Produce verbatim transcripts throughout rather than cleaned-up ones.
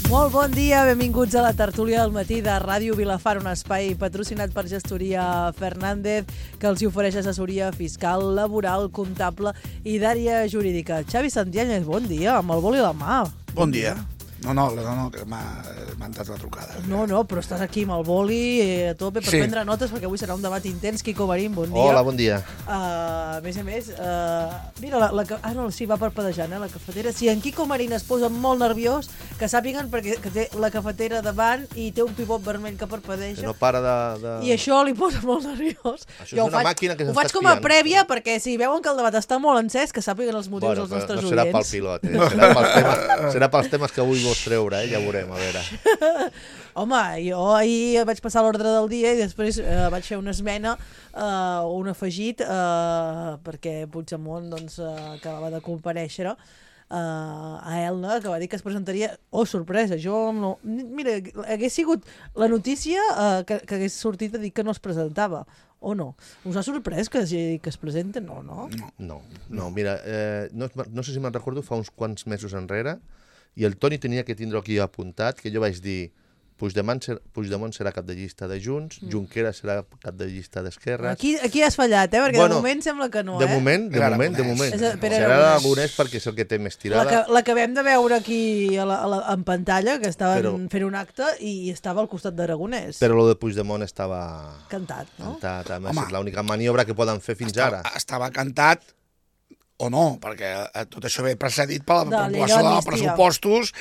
Molt bon dia, benvinguts a la tertúlia del matí de Ràdio Vilafant, un espai patrocinat per Gestoria Fernández, que els ofereix assessoria fiscal, laboral, comptable i d'àrea jurídica. Xavi Santianes, bon dia, amb el boli a la mà. Bon dia. No, no, no, no que m'ha entrat la trucada. No, no, però estàs aquí amb el boli a tope per Sí. prendre notes, perquè avui serà un debat intens. Quico Barín, bon dia. Hola, bon dia. Uh, a més a més, uh, mira, la, la, ah, no, sí, va parpadejant, eh, la cafetera. Si en Quico Marín es posa molt nerviós, que sàpiguen perquè que té la cafetera davant i té un pivot vermell que parpadeja. Que no para de... de... I això li posa molt nerviós. Això és una faig, màquina que ho s'està faig com a espiant. prèvia, perquè si veuen que el debat està molt encès, que sàpiguen els motius Bueno, dels nostres no serà pel oients. pilot, eh? serà, pels temes, serà pels temes que avui vols treure, eh? Ja veurem, a veure. Home, jo ahir vaig passar l'ordre del dia i després eh, vaig fer una esmena, eh, un afegit, eh, perquè Puigdemont doncs, eh, acabava de comparèixer eh, a Elna, que va dir que es presentaria... Oh, sorpresa, jo no... Mira, hagués sigut la notícia eh, que, que hagués sortit a dir que no es presentava. O no? Us ha sorprès que, que es presenta? No, no? No, no, mira, eh, no, no sé si me'n recordo, fa uns quants mesos enrere, i el Toni tenia que tindre aquí apuntat, que jo vaig dir Puigdemont, ser, Puigdemont serà cap de llista de Junts, mm. Junqueras serà cap de llista d'Esquerra. Aquí, aquí has fallat, eh? Perquè Bueno, de moment sembla que no, de eh? moment, de Era moment, de Aragonès. moment. És a- Pere Serà Aragonès. Aragonès perquè és el que té més La tirada. que l'acabem de veure aquí a la, a la, en pantalla, que estaven Però- fent un acte i estava al costat d'Aragonès. Però lo de Puigdemont estava Cantat, no? cantat. A més, Home. és l'única maniobra que poden fer fins estava, ara. Estava cantat o no, perquè eh, tot això ve precedit per la De la llei aprovació de d'amnistia. pressupostos,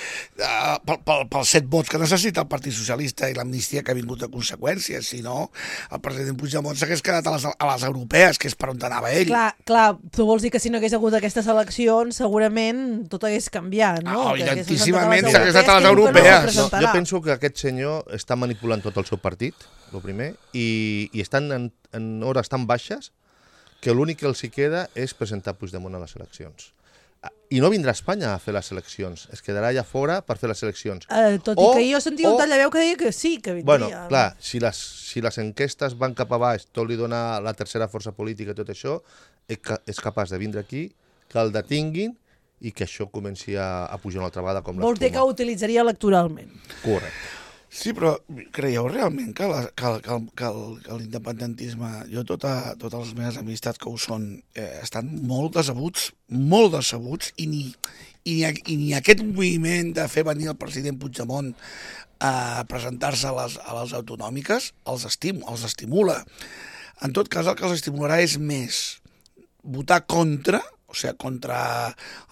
eh, pel, pel, pels set vots que necessita el Partit Socialista i l'amnistia que ha vingut a conseqüències. Si no, el president Puigdemont s'hagués quedat a les, a les europees, que és per on anava ell. Clar, clar, tu vols dir que si no hagués hagut aquestes eleccions, segurament tot hagués canviat, no? Ah, Que hagués evidentíssimament presentat s'hagués anat a les que diu que no europees. es No, presentarà. jo penso que aquest senyor està manipulant tot el seu partit, el primer, i, i estan en, en hores tan baixes que l'únic que els hi queda és presentar Puigdemont a les eleccions. I no vindrà a Espanya a fer les eleccions, es quedarà allà fora per fer les eleccions. Eh, tot O- i que jo sentia un o- tall de veu que deia que sí, que vindria. Bueno, clar, si les, si les enquestes van cap a baix, tot li dona la tercera força política i tot això, és, ca és capaç de vindre aquí, que el detinguin i que això comenci a, a pujar una altra vegada com Vol dir que ho utilitzaria electoralment. Correcte. Sí, però creieu realment que, la, que, el- que, el- que, el- que l'independentisme, jo tota, totes les meves amistats que ho són, eh, estan molt decebuts, molt decebuts, i ni, i, ni, i ni aquest moviment de fer venir el president Puigdemont a presentar-se a les, a les autonòmiques els, estim, els estimula. En tot cas, el que els estimularà és més votar contra, o sigui, contra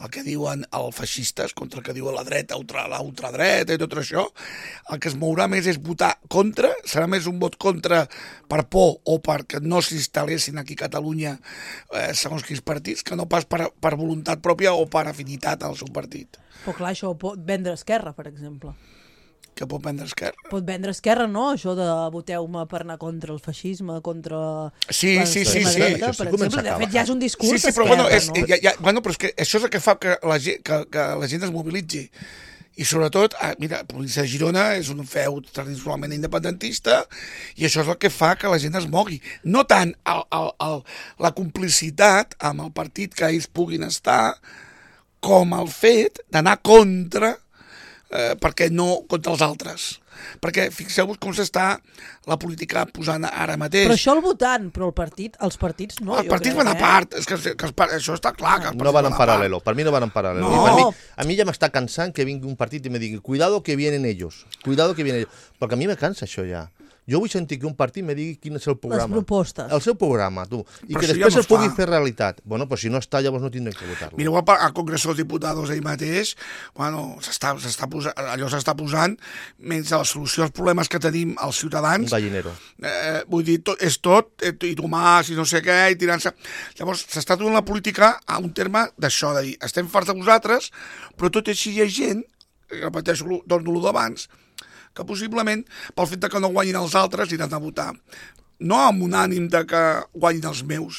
el que diuen els feixistes, contra el que diuen la dreta, ultra, la ultradreta i tot això, el que es mourà més és votar contra, serà més un vot contra per por o perquè no s'instal·lessin aquí a Catalunya eh, segons quins partits, que no pas per, per voluntat pròpia o per afinitat al seu partit. Però clar, això ho pot vendre Esquerra, per exemple. Que pot prendre Esquerra. Pot vendre Esquerra, no? Això de voteu-me per anar contra el feixisme, contra... Sí, la sí, extrema sí, sí. dreta, Això sí per comença exemple. a De acabar. fet, ja és un discurs Sí, sí, però, bueno, és, no? ja, ja, bueno, però és que això és el que fa que la gent, que, que la gent es mobilitzi. I sobretot, ah, mira, la província de Girona és un feu tradicionalment independentista i això és el que fa que la gent es mogui. No tant el, el, el, la complicitat amb el partit que ells puguin estar com el fet d'anar contra, eh, perquè no contra els altres. Perquè fixeu-vos com s'està la política posant ara mateix. Però això el votant, però el partit, els partits no. Els jo partits crec, van a eh? part, és que, que els, par- això està clar. Que els No partits van en a part. paral·lelo, per mi no van en paral·lelo. No. I per mi, a mi ja m'està cansant que vingui un partit i me digui cuidado que vienen ellos, cuidado que vienen ellos, perquè a mi me cansa això ja. Jo vull sentir que un partit me digui quin és el programa. Les propostes. El seu programa, tu. I Però que això després ja no el pugui es fa. fer realitat. Bueno, pues si no està, llavors no tindrem que votar-lo. Mireu al, al Congreso dels Diputados ell mateix, bueno, s'està s'està posant, allò s'està posant menys la solució als problemes que tenim els Un ciutadans. gallinero. Eh, vull dir, tot, és tot, eh, i Tomàs, i no sé què, i tirant-se... Llavors, s'està donant la política a un terme d'això, de dir, estem farts de vosaltres, però tot i així hi ha gent, repeteixo, torno lo d'abans, que possiblement, pel fet de que no guanyin els altres, iran a votar. No amb un ànim de que guanyin els meus,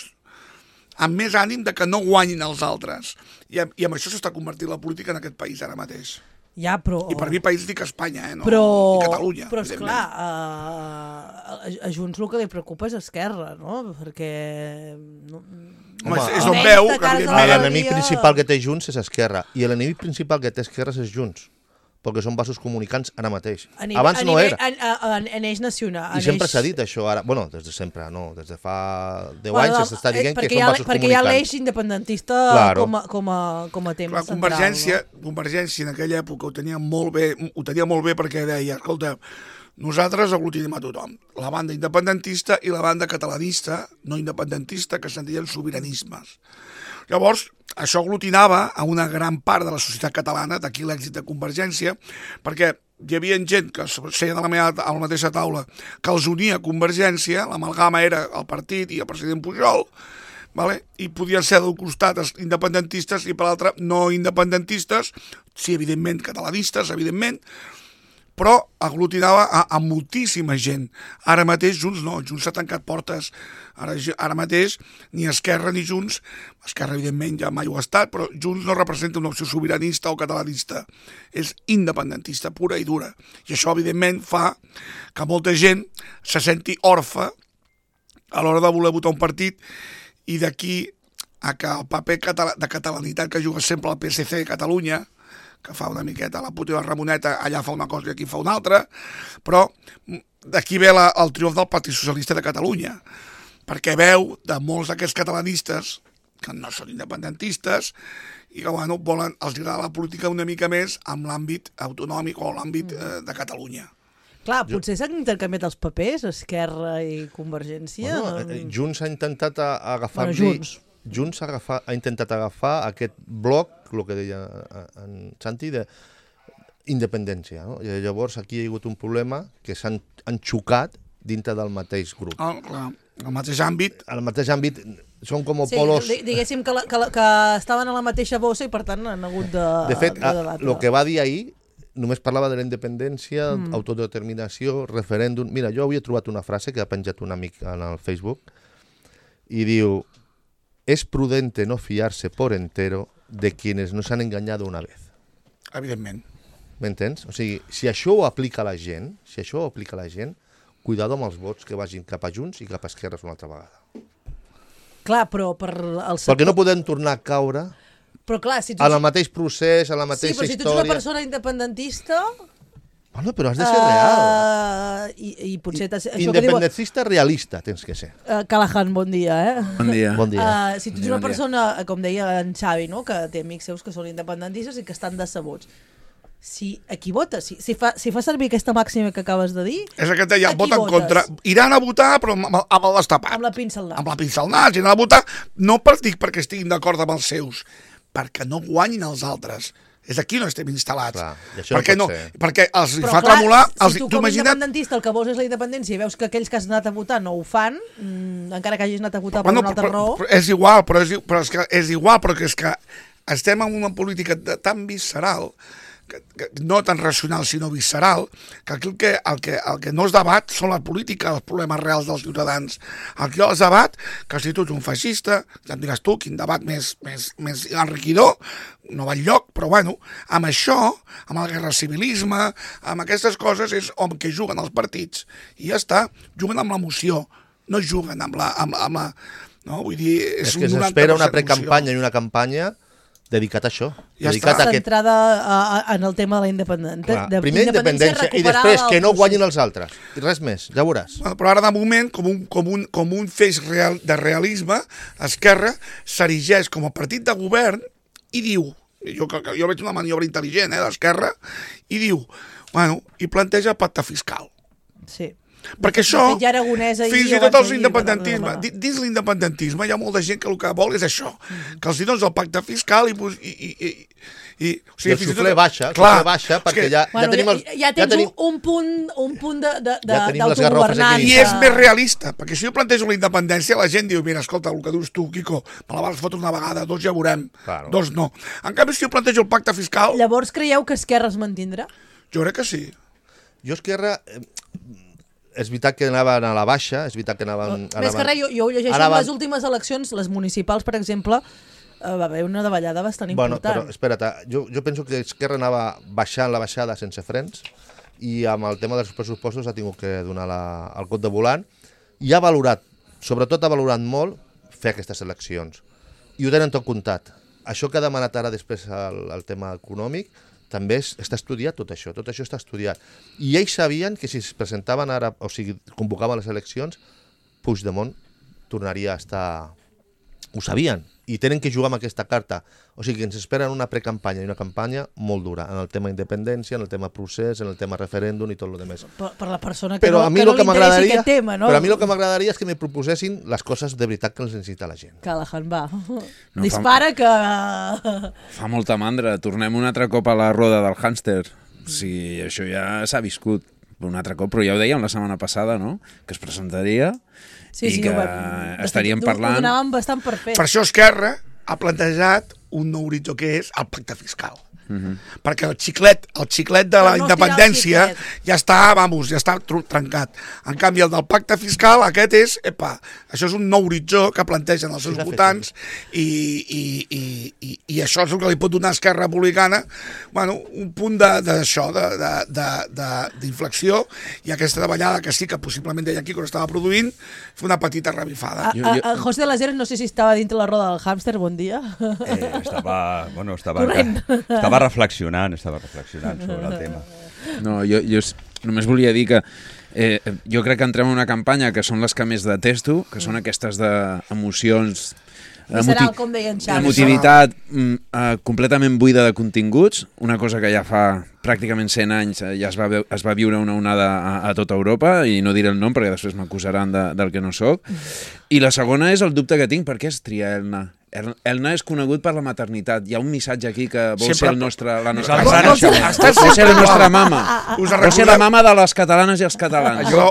amb més ànim de que no guanyin els altres. I, I amb això s'està convertint la política en aquest país ara mateix. Ja, però... I per mi país dic Espanya, eh? No? Però, I Catalunya. però evidentment. esclar, a, a, a Junts el que li preocupa és Esquerra, no? Perquè... No, Home, és, és Almenys on veu de que, cara a evidentment, la- L'enemic dia- principal que té Junts és Esquerra, i l'enemic principal que té Esquerra és Junts, perquè són vasos comunicants ara mateix. A nivell, Abans a no nivell, era. En, en, en eix nacional. I sempre s'ha dit això, ara. Bueno, des de sempre, no. Des de fa deu Bueno, anys s'està dient que són ha, vasos perquè hi ha comunicants. l'eix independentista Claro. com, a, com, a, com a tema La central. Convergència, No? Convergència en aquella època ho tenia molt bé, ho tenia molt bé perquè deia, escolta, nosaltres aglutinem a tothom, la banda independentista i la banda catalanista, no independentista, que se'n deien sobiranismes. Llavors, això aglutinava a una gran part de la societat catalana, d'aquí l'èxit de Convergència, perquè hi havia gent que seien a la, meva, a la mateixa taula que els unia a Convergència, l'amalgama era el partit i el president Pujol, vale? I podien ser d'un costat els independentistes i per l'altre no independentistes, sí, evidentment, catalanistes, evidentment, però aglutinava a, a moltíssima gent. Ara mateix Junts no, Junts s'ha tancat portes. Ara, ara mateix ni Esquerra ni Junts, Esquerra evidentment ja mai ho ha estat, però Junts no representa una opció sobiranista o catalanista. És independentista pura i dura. I això evidentment fa que molta gent se senti orfa a l'hora de voler votar un partit i d'aquí a que el paper català, de catalanitat que juga sempre el P S C de Catalunya, que fa una miqueta la puta i la Ramoneta, allà fa una cosa i aquí fa una altra, però d'aquí ve la, el triomf del Partit Socialista de Catalunya, perquè veu de molts d'aquests catalanistes, que no són independentistes, i que bueno, volen, els agrada la política una mica més amb l'àmbit autonòmic o l'àmbit eh, de Catalunya. Clar, potser s'han intercanviat els papers, Esquerra i Convergència. Bueno, eh, Junts ha intentat a- agafar-li... Bueno, Junts. Junts ha, agafar, ha intentat agafar aquest bloc, el que deia en Santi, de independència. No? I llavors aquí hi ha hagut un problema que s'han han xocat dintre del mateix grup. Ah, clar, el mateix àmbit. Al mateix àmbit són com Sí, polos... di- diguéssim que, la, que, la, que estaven a la mateixa bossa i per tant han hagut de, De fet, de debatre. el que va dir ahir només parlava de la independència, mm. autodeterminació, referèndum... Mira, jo avui he trobat una frase que ha penjat un amic en el Facebook i diu: es prudente no fiarse por entero de quienes nos han engañado una vez. Evidentment. M'entens? O sigui, si això ho aplica la gent, si això ho aplica la gent, cuidado amb els vots que vagin cap a Junts i cap a Esquerres una altra vegada. Clar, però per el Perquè no podem tornar a caure Però clar, si tu... en el mateix procés, en la Sí, mateixa però si tu ets una història... persona independentista... Bueno, però has de ser real. Uh, i, I potser... t'has- Això que diu... Independentista realista tens que ser. Uh, Callahan, bon dia, eh? Bon dia. Bon dia. Uh, si tu ets Bon dia, una bon dia. persona, com deia en Xavi, no? Que té amics seus que són independentistes i que estan decebuts. Si aquí votes, si, si, fa, si fa servir aquesta màxima que acabes de dir, És el que et deia, a qui vota en votes? contra. Iran a votar, però amb, amb- amb el destapat. amb la pinça al nas. Amb la pinça al nas. Iran a votar, no per dir perquè estiguin d'acord amb els seus, perquè no guanyin els altres. És aquí on estem instal·lats. Clar, i això no perquè, pot no, ser. perquè els Però fa clar, tremolar... Els, si tu tu com a imagina't... independentista el que vols és la independència i veus que aquells que has anat a votar no ho fan, mmm, encara que hagis anat a votar per Bueno, una altra però, raó... però és igual, però és, però és, que és igual, però que és que estem en una política de, tan visceral, que, que, no tan racional sinó visceral, que aquí el que, el, que, el que no es debat són la política, els problemes reals dels ciutadans. Aquí es debat que si tu ets un feixista, ja em diràs tu quin debat més, més, més enriquidor, no va enlloc, però bueno, amb això, amb el guerra civilisme, amb aquestes coses és on que juguen els partits. I ja està, juguen amb l'emoció, no juguen amb la... Amb, amb la no? Vull dir, és, És que un s'espera una noranta per cent precampanya i una campanya dedicat a això. Ja dedicat està. a aquest... Centrada a, a, en el tema de la independència. Clar, primer independència i després que no guanyin els altres. I res més, ja veuràs. Bueno, però ara de moment, com un, com un, com un feix real, de realisme, Esquerra s'erigeix com a partit de govern i diu, jo, jo veig una maniobra intel·ligent eh, d'Esquerra, i diu, bueno, i planteja pacte fiscal. Sí. Perquè De això, fet, ja Aragonès ahir fins ho i va tot els dir, independentisme, va- va- di- dins l'independentisme hi ha molta gent que el que vol és això, que els dins el pacte fiscal i... i, i, i i, o I el fins i tot- suflé baixa, el Clar, suflé baixa, és perquè que- ja, Bueno, ja tenim... El, ja, ja tens tenim... un, un punt, un punt de, de, de, Ja tenim les garrofes d'autogovernança. aquí. I és més realista, perquè si jo plantejo la independència, la gent diu, mira, escolta, el que dius tu, Quico, me la vas fotre una vegada, dos ja veurem, Claro. dos no. En canvi, si jo plantejo el pacte fiscal, Llavors creieu que Esquerra es mantindrà? jo crec que sí. Jo, Esquerra, eh, és veritat que anaven a la baixa, és veritat que anaven... Més que res, jo, jo ho llegeixo Anaven- en les últimes eleccions, les municipals, per exemple, eh, va haver una davallada bastant Bueno, important. però espera't, jo, jo penso que Esquerra anava baixant la baixada sense frens i amb el tema dels pressupostos ha tingut que donar la, el cop de volant i ha valorat, sobretot ha valorat molt fer aquestes eleccions. I ho tenen tot comptat. Això que ha demanat ara després el, el tema econòmic també és, està estudiat tot això, tot això està estudiat. I ells sabien que si es presentaven ara, o sigui, convocaven les eleccions, Puigdemont tornaria a estar... Ho sabien, i tenen que jugar amb aquesta carta. O sigui que ens esperen una precampanya i una campanya molt dura, en el tema independència, en el tema procés, en el tema referèndum i tot el demés. Per, per la persona que però no, a mi que no lo que li interessi m'agradaria, aquest tema, no? Però a mi el que m'agradaria és que me proposessin les coses de veritat que els necessita la gent. Callahan, va. No, Dispara fa... que... Fa molta mandra. Tornem un altre cop a la roda del hàmster. O sigui, això ja s'ha viscut un altre cop, però ja ho dèiem la setmana passada, no? Que es presentaria... Sí, i sí, que ho, estaríem ho, parlant... Ho donàvem bastant per fet. Per això Esquerra ha plantejat un nou horitzó que és el pacte fiscal. Uh-huh. Perquè el xiclet, el xiclet de la no independència ja està, vamos, ja està trencat. En canvi, el del pacte fiscal, aquest és, epa, això és un nou horitzó que plantegen els seus sí, votants i, i, i, i, i això és el que li pot donar a Esquerra Republicana, bueno, un punt d'això, d'inflexió, i aquesta davallada que sí que possiblement deia aquí quan estava produint, fer una petita revifada. A, a, a José de las Heras no sé si estava dintre la roda del hàmster, bon dia. Eh, estava, bueno, estava, estava reflexionant, estava reflexionant sobre el tema. No, jo, jo només volia dir que eh, jo crec que entrem en una campanya que són les que més detesto, que són aquestes d'emocions, Visceral, com deia en Xavi. emotivitat mm, eh, completament buida de continguts, una cosa que ja fa pràcticament cent anys eh, ja es va, es va viure una onada a, a tota Europa, i no diré el nom perquè després m'acusaran de, del que no sóc. I la segona és el dubte que tinc, per què es tria Elna? Elna és conegut per la maternitat. Hi ha un missatge aquí que vol Sempre... ser el nostre, la nostra Vol, vol, ser, vol ser la nostra mama. Us Vol ser la mama de les catalanes i els catalans. Jo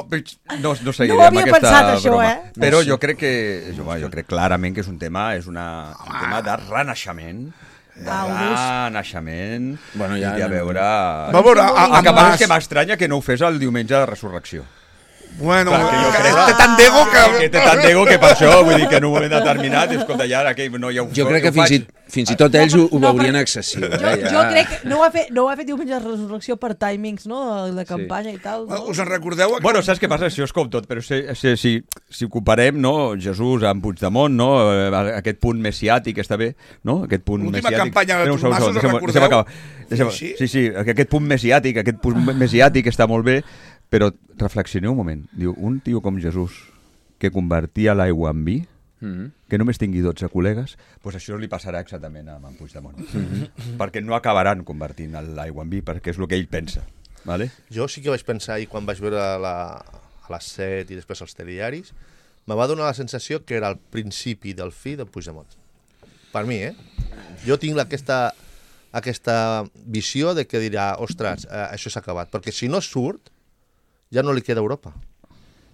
no, no seguiré no amb havia aquesta pensat, això, broma. eh? Però No, sí. jo crec que jo, jo crec clarament que és un tema, és una, un tema de renaixement, de Ah, renaixement, Bueno, ja i a anem- veure... Va veure, a, a, El que passa Mas- és que m'estranya que no ho fes el diumenge de resurrecció. Bueno, Clar, que jo que crec- té tant d'ego que... Que té tant d'ego que per això, vull dir que en un moment determinat, escolta, ja ara que no hi ha un... Jo crec que ho fins i, faig. fins i tot ells ho, ho No, veurien però- excessiu. Jo, eh, ja. jo crec que no ho ha fet, no ho ha fet diumenge de resurrecció per timings, no?, de, de campanya i tal. No? Us en recordeu? Bueno, saps què passa? Això és com tot, però si, si, si, si ho comparem, no, Jesús amb Puigdemont, no, aquest punt messiàtic està bé, no? Aquest punt L'última messiàtic. campanya de Espera un segon, Artur Mas, us deixa'm- recordeu? deixa'm acabar. Deixa'm- Sí, Sí, sí, aquest punt messiàtic, aquest punt messiàtic està molt bé, però reflexioneu un moment. Diu, un tio com Jesús, que convertia l'aigua en vi, Mhm. que només tingui dotze col·legues, doncs això li passarà exactament a en Puigdemont. Mm-hmm. Perquè no acabaran convertint l'aigua en vi, perquè és el que ell pensa. Vale? Jo sí que vaig pensar ahir quan vaig veure la, a les set i després els telediaris, me va donar la sensació que era el principi del fi del Puigdemont. Per mi, eh? Jo tinc aquesta, aquesta visió de que dirà, ostres, eh, això s'ha acabat, perquè si no surt, ja no li queda Europa.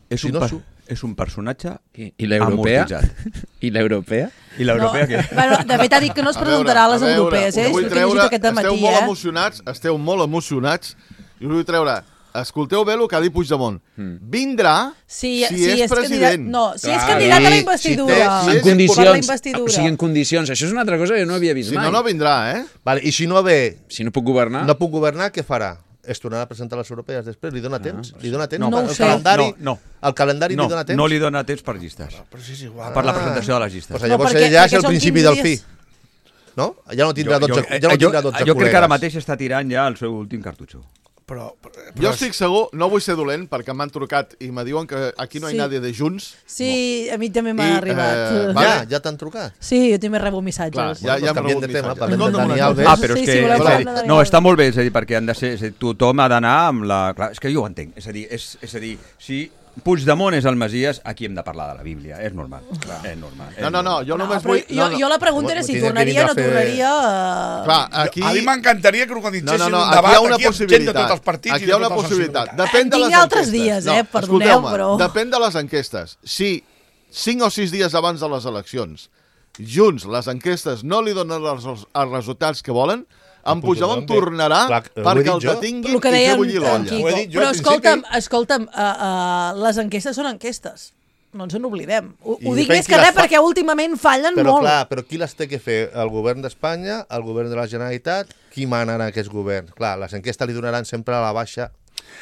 És, Si un no per, su- és un personatge I, i l'europea? amortitzat. I l'europea? I l'europea no, què? Bueno, de fet ha dit que no es A veure, presentarà a les a veure, europees, eh? us vull És el que he llegit aquest esteu matí, molt eh? emocionats, esteu molt emocionats, i us vull treure, escolteu bé el que ha dit Puigdemont. Vindrà Sí, si sí, és, és candidat, president. no, si és Clar, candidat a la sí, investidura. si té- si En és Per la condicions, investidura. o sigui, en condicions. Això és una altra cosa que jo no havia vist Si mai. no, no vindrà, eh? Vale, i si no ve, Si no puc governar... no puc governar, què farà? Es tornarà a presentar a les europees després? Li dona temps? Li dona temps? No, No ho el sé. calendari, No, no. El calendari No, li dona temps? no li dona temps per llistes. Però sí, és igual. Per la presentació de les llistes. Pues No, llavors perquè- ja és perquè el són principi quinze del fi. dies. No? Ja no tindrà dotze, jo, ja no jo, tindrà dotze jo crec que ara col·legues. mateix està tirant ja el seu últim cartutxo. Però, però, Jo estic segur, no vull ser dolent, perquè m'han trucat i me diuen que aquí no hi Sí. ha nadie de Junts. Sí, a mi també m'ha I, arribat. eh, Ja, vale. ja t'han trucat. Sí, jo també rebo missatges. Clar, ja, Bueno, ja hem canviem de rebut tema, missatges. parlem de Escolta'm una Dani cosa. Alves. Ah, però és Sí, que... sí, voleu és a dir, parlar de no, Dani està molt bé, és a dir, perquè han de ser... És a dir, tothom ha d'anar amb la... Clar, és que jo ho entenc. És a dir, és, és a dir si Puigdemont és el Messies, aquí hem de parlar de la Bíblia. És normal. Clar. És normal. És No, no, no, normal. jo No, només però vull... jo, No, no. jo la pregunta era si Tindria que tornaria o no vindre a fer- tornaria... eh, Clar, aquí... a mi m'encantaria que organitzessin No, no, no, un aquí debat hi ha una aquí amb gent de possibilitat. tots els partits Aquí i hi ha de una totes les possibilitat. ciutats. Depèn de En les tinc altres enquestes. dies, no, eh, perdoneu, escolteu-me, però- Depèn de les enquestes. Si cinc o sis dies abans de les eleccions, Junts, les enquestes no li donen els, els resultats que volen, en Puigdemont tornarà Clar, ho he perquè dit el jo. detinguin El que i fer deia en, bullir en l'olla. Quico. Ho he dit jo Però al escolta'm, principi. escolta'm uh, uh, les enquestes són enquestes. No ens n'oblidem. Ho, I ho dic depèn més qui que les res fa. perquè últimament fallen Però molt. clar, però qui les té que fer? El govern d'Espanya, el govern de la Generalitat? Qui mana en aquest govern? Clar, les enquestes li donaran sempre a la baixa,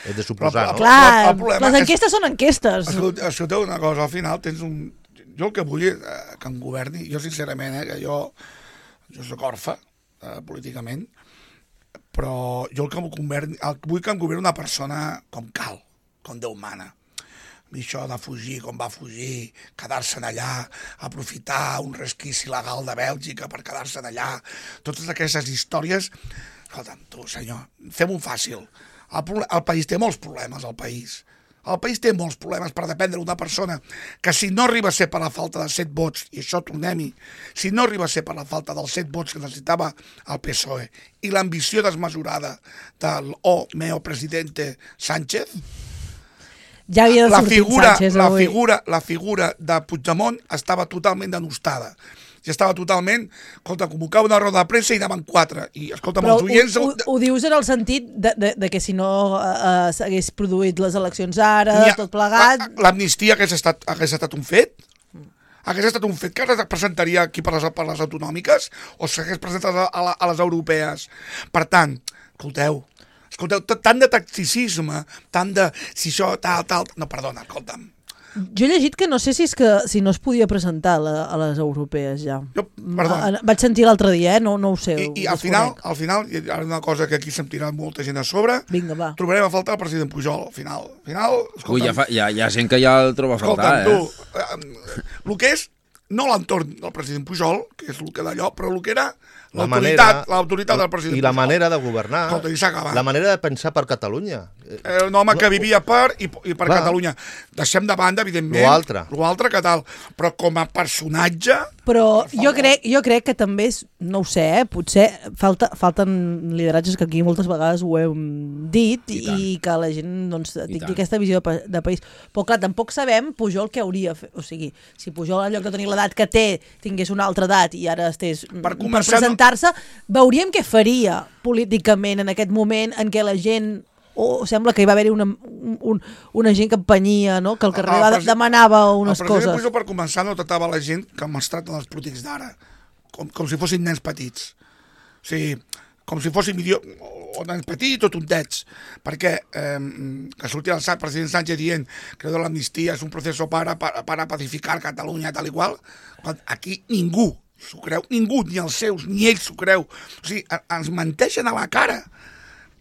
és de suposar, Però- no? Clar, El- el problema les és- enquestes són enquestes. Escolta, escolteu una cosa, al final tens un... Jo el que vull és eh, que em governi, jo sincerament, eh, que jo, jo soc orfe, eh, políticament, però jo el que governi, el, vull que em governi una persona com cal, com Déu mana. I això de fugir com va fugir, quedar-se'n allà, aprofitar un resquici legal de Bèlgica per quedar-se'n allà, totes aquestes històries. Escolta'm, tu, senyor, fem-ho fàcil. El, el país té molts problemes, el país. El país té molts problemes per dependre d'una persona que si no arriba a ser per la falta de set vots, i això tornem-hi, si no arriba a ser per la falta dels set vots que necessitava el P S O E i l'ambició desmesurada del oh meo presidente Sánchez, ja havia de la sortir figura, Sánchez la avui. figura, la figura de Puigdemont estava totalment denostada. I estava totalment, escolta, convocava una roda de premsa i anaven quatre. I, escolta, Però els oients... ho, ho, ho dius en el sentit de, de, de que si no uh, s'hagués produït les eleccions ara, ha- tot plegat... L'amnistia hagués estat, hagués estat un fet? Hagués estat un fet que es presentaria aquí per les, per les autonòmiques o s'hagués presentat a, a, a les europees? Per tant, escolteu, escolteu, tant de tacticisme, tant de... Si això, tal, tal... No, perdona, escolta'm. Jo he llegit que no sé si és que si no es podia presentar a, la, a les europees ja. Jo, perdona. A, vaig sentir l'altre dia, eh? no, no ho sé. I, i ho al final, desconec. al final, hi ha una cosa que aquí se'm tira molta gent a sobre, Vinga, va. trobarem a faltar el president Pujol, al final. Al final, escolta'm, Ui, ja fa, hi, ha, hi ha gent que ja el troba a faltar, escolta'm, eh? tu, eh, el que és, no l'entorn del president Pujol, que és el que d'allò, però el que era La l'autoritat manera- l'autoritat del president I la Pujol. manera de governar, Escolta, i s'ha acabat. la manera de pensar per Catalunya. Eh, un home que vivia per i, i per Clar. Catalunya. Deixem de banda, evidentment, Lo altre. lo altre que tal, però com a personatge... Però Per jo favor. crec, jo crec que també, és, no ho sé, eh? potser falta, falten lideratges que aquí moltes vegades ho hem dit i, tant. i que la gent doncs, tingui tant. aquesta visió de, pa- de país. Però clar, tampoc sabem Pujol què hauria fet. O sigui, si Pujol en lloc de tenir l'edat que té tingués una altra edat i ara estés mm, per, començar, per presentar-se, veuríem què faria políticament en aquest moment en què la gent o sembla que hi va haver-hi una, un, una gent que empenyia, no? Que al carrer El va, presi- demanava unes El president coses. Pujol, per començar, no tractava la gent com es tracten els polítics d'ara, com, com si fossin nens petits. O sigui, com si fossin idio... o nens petits o tontets, perquè eh, que surti el Sa- president Sánchez dient que de l'amnistia és un procés para, para, para pacificar Catalunya, tal i qual, quan aquí ningú s'ho creu, ningú, ni els seus, ni ells s'ho creu. O sigui, a- ens menteixen a la cara.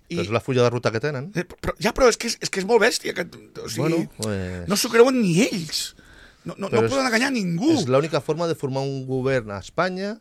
I, És la fulla de ruta que tenen. Eh, però, ja, però és que és, és que és molt bèstia. Que, o sigui, Bueno, pues- no s'ho creuen ni ells. No, no, no Però és- poden enganyar ningú. És l'única forma de formar un govern a Espanya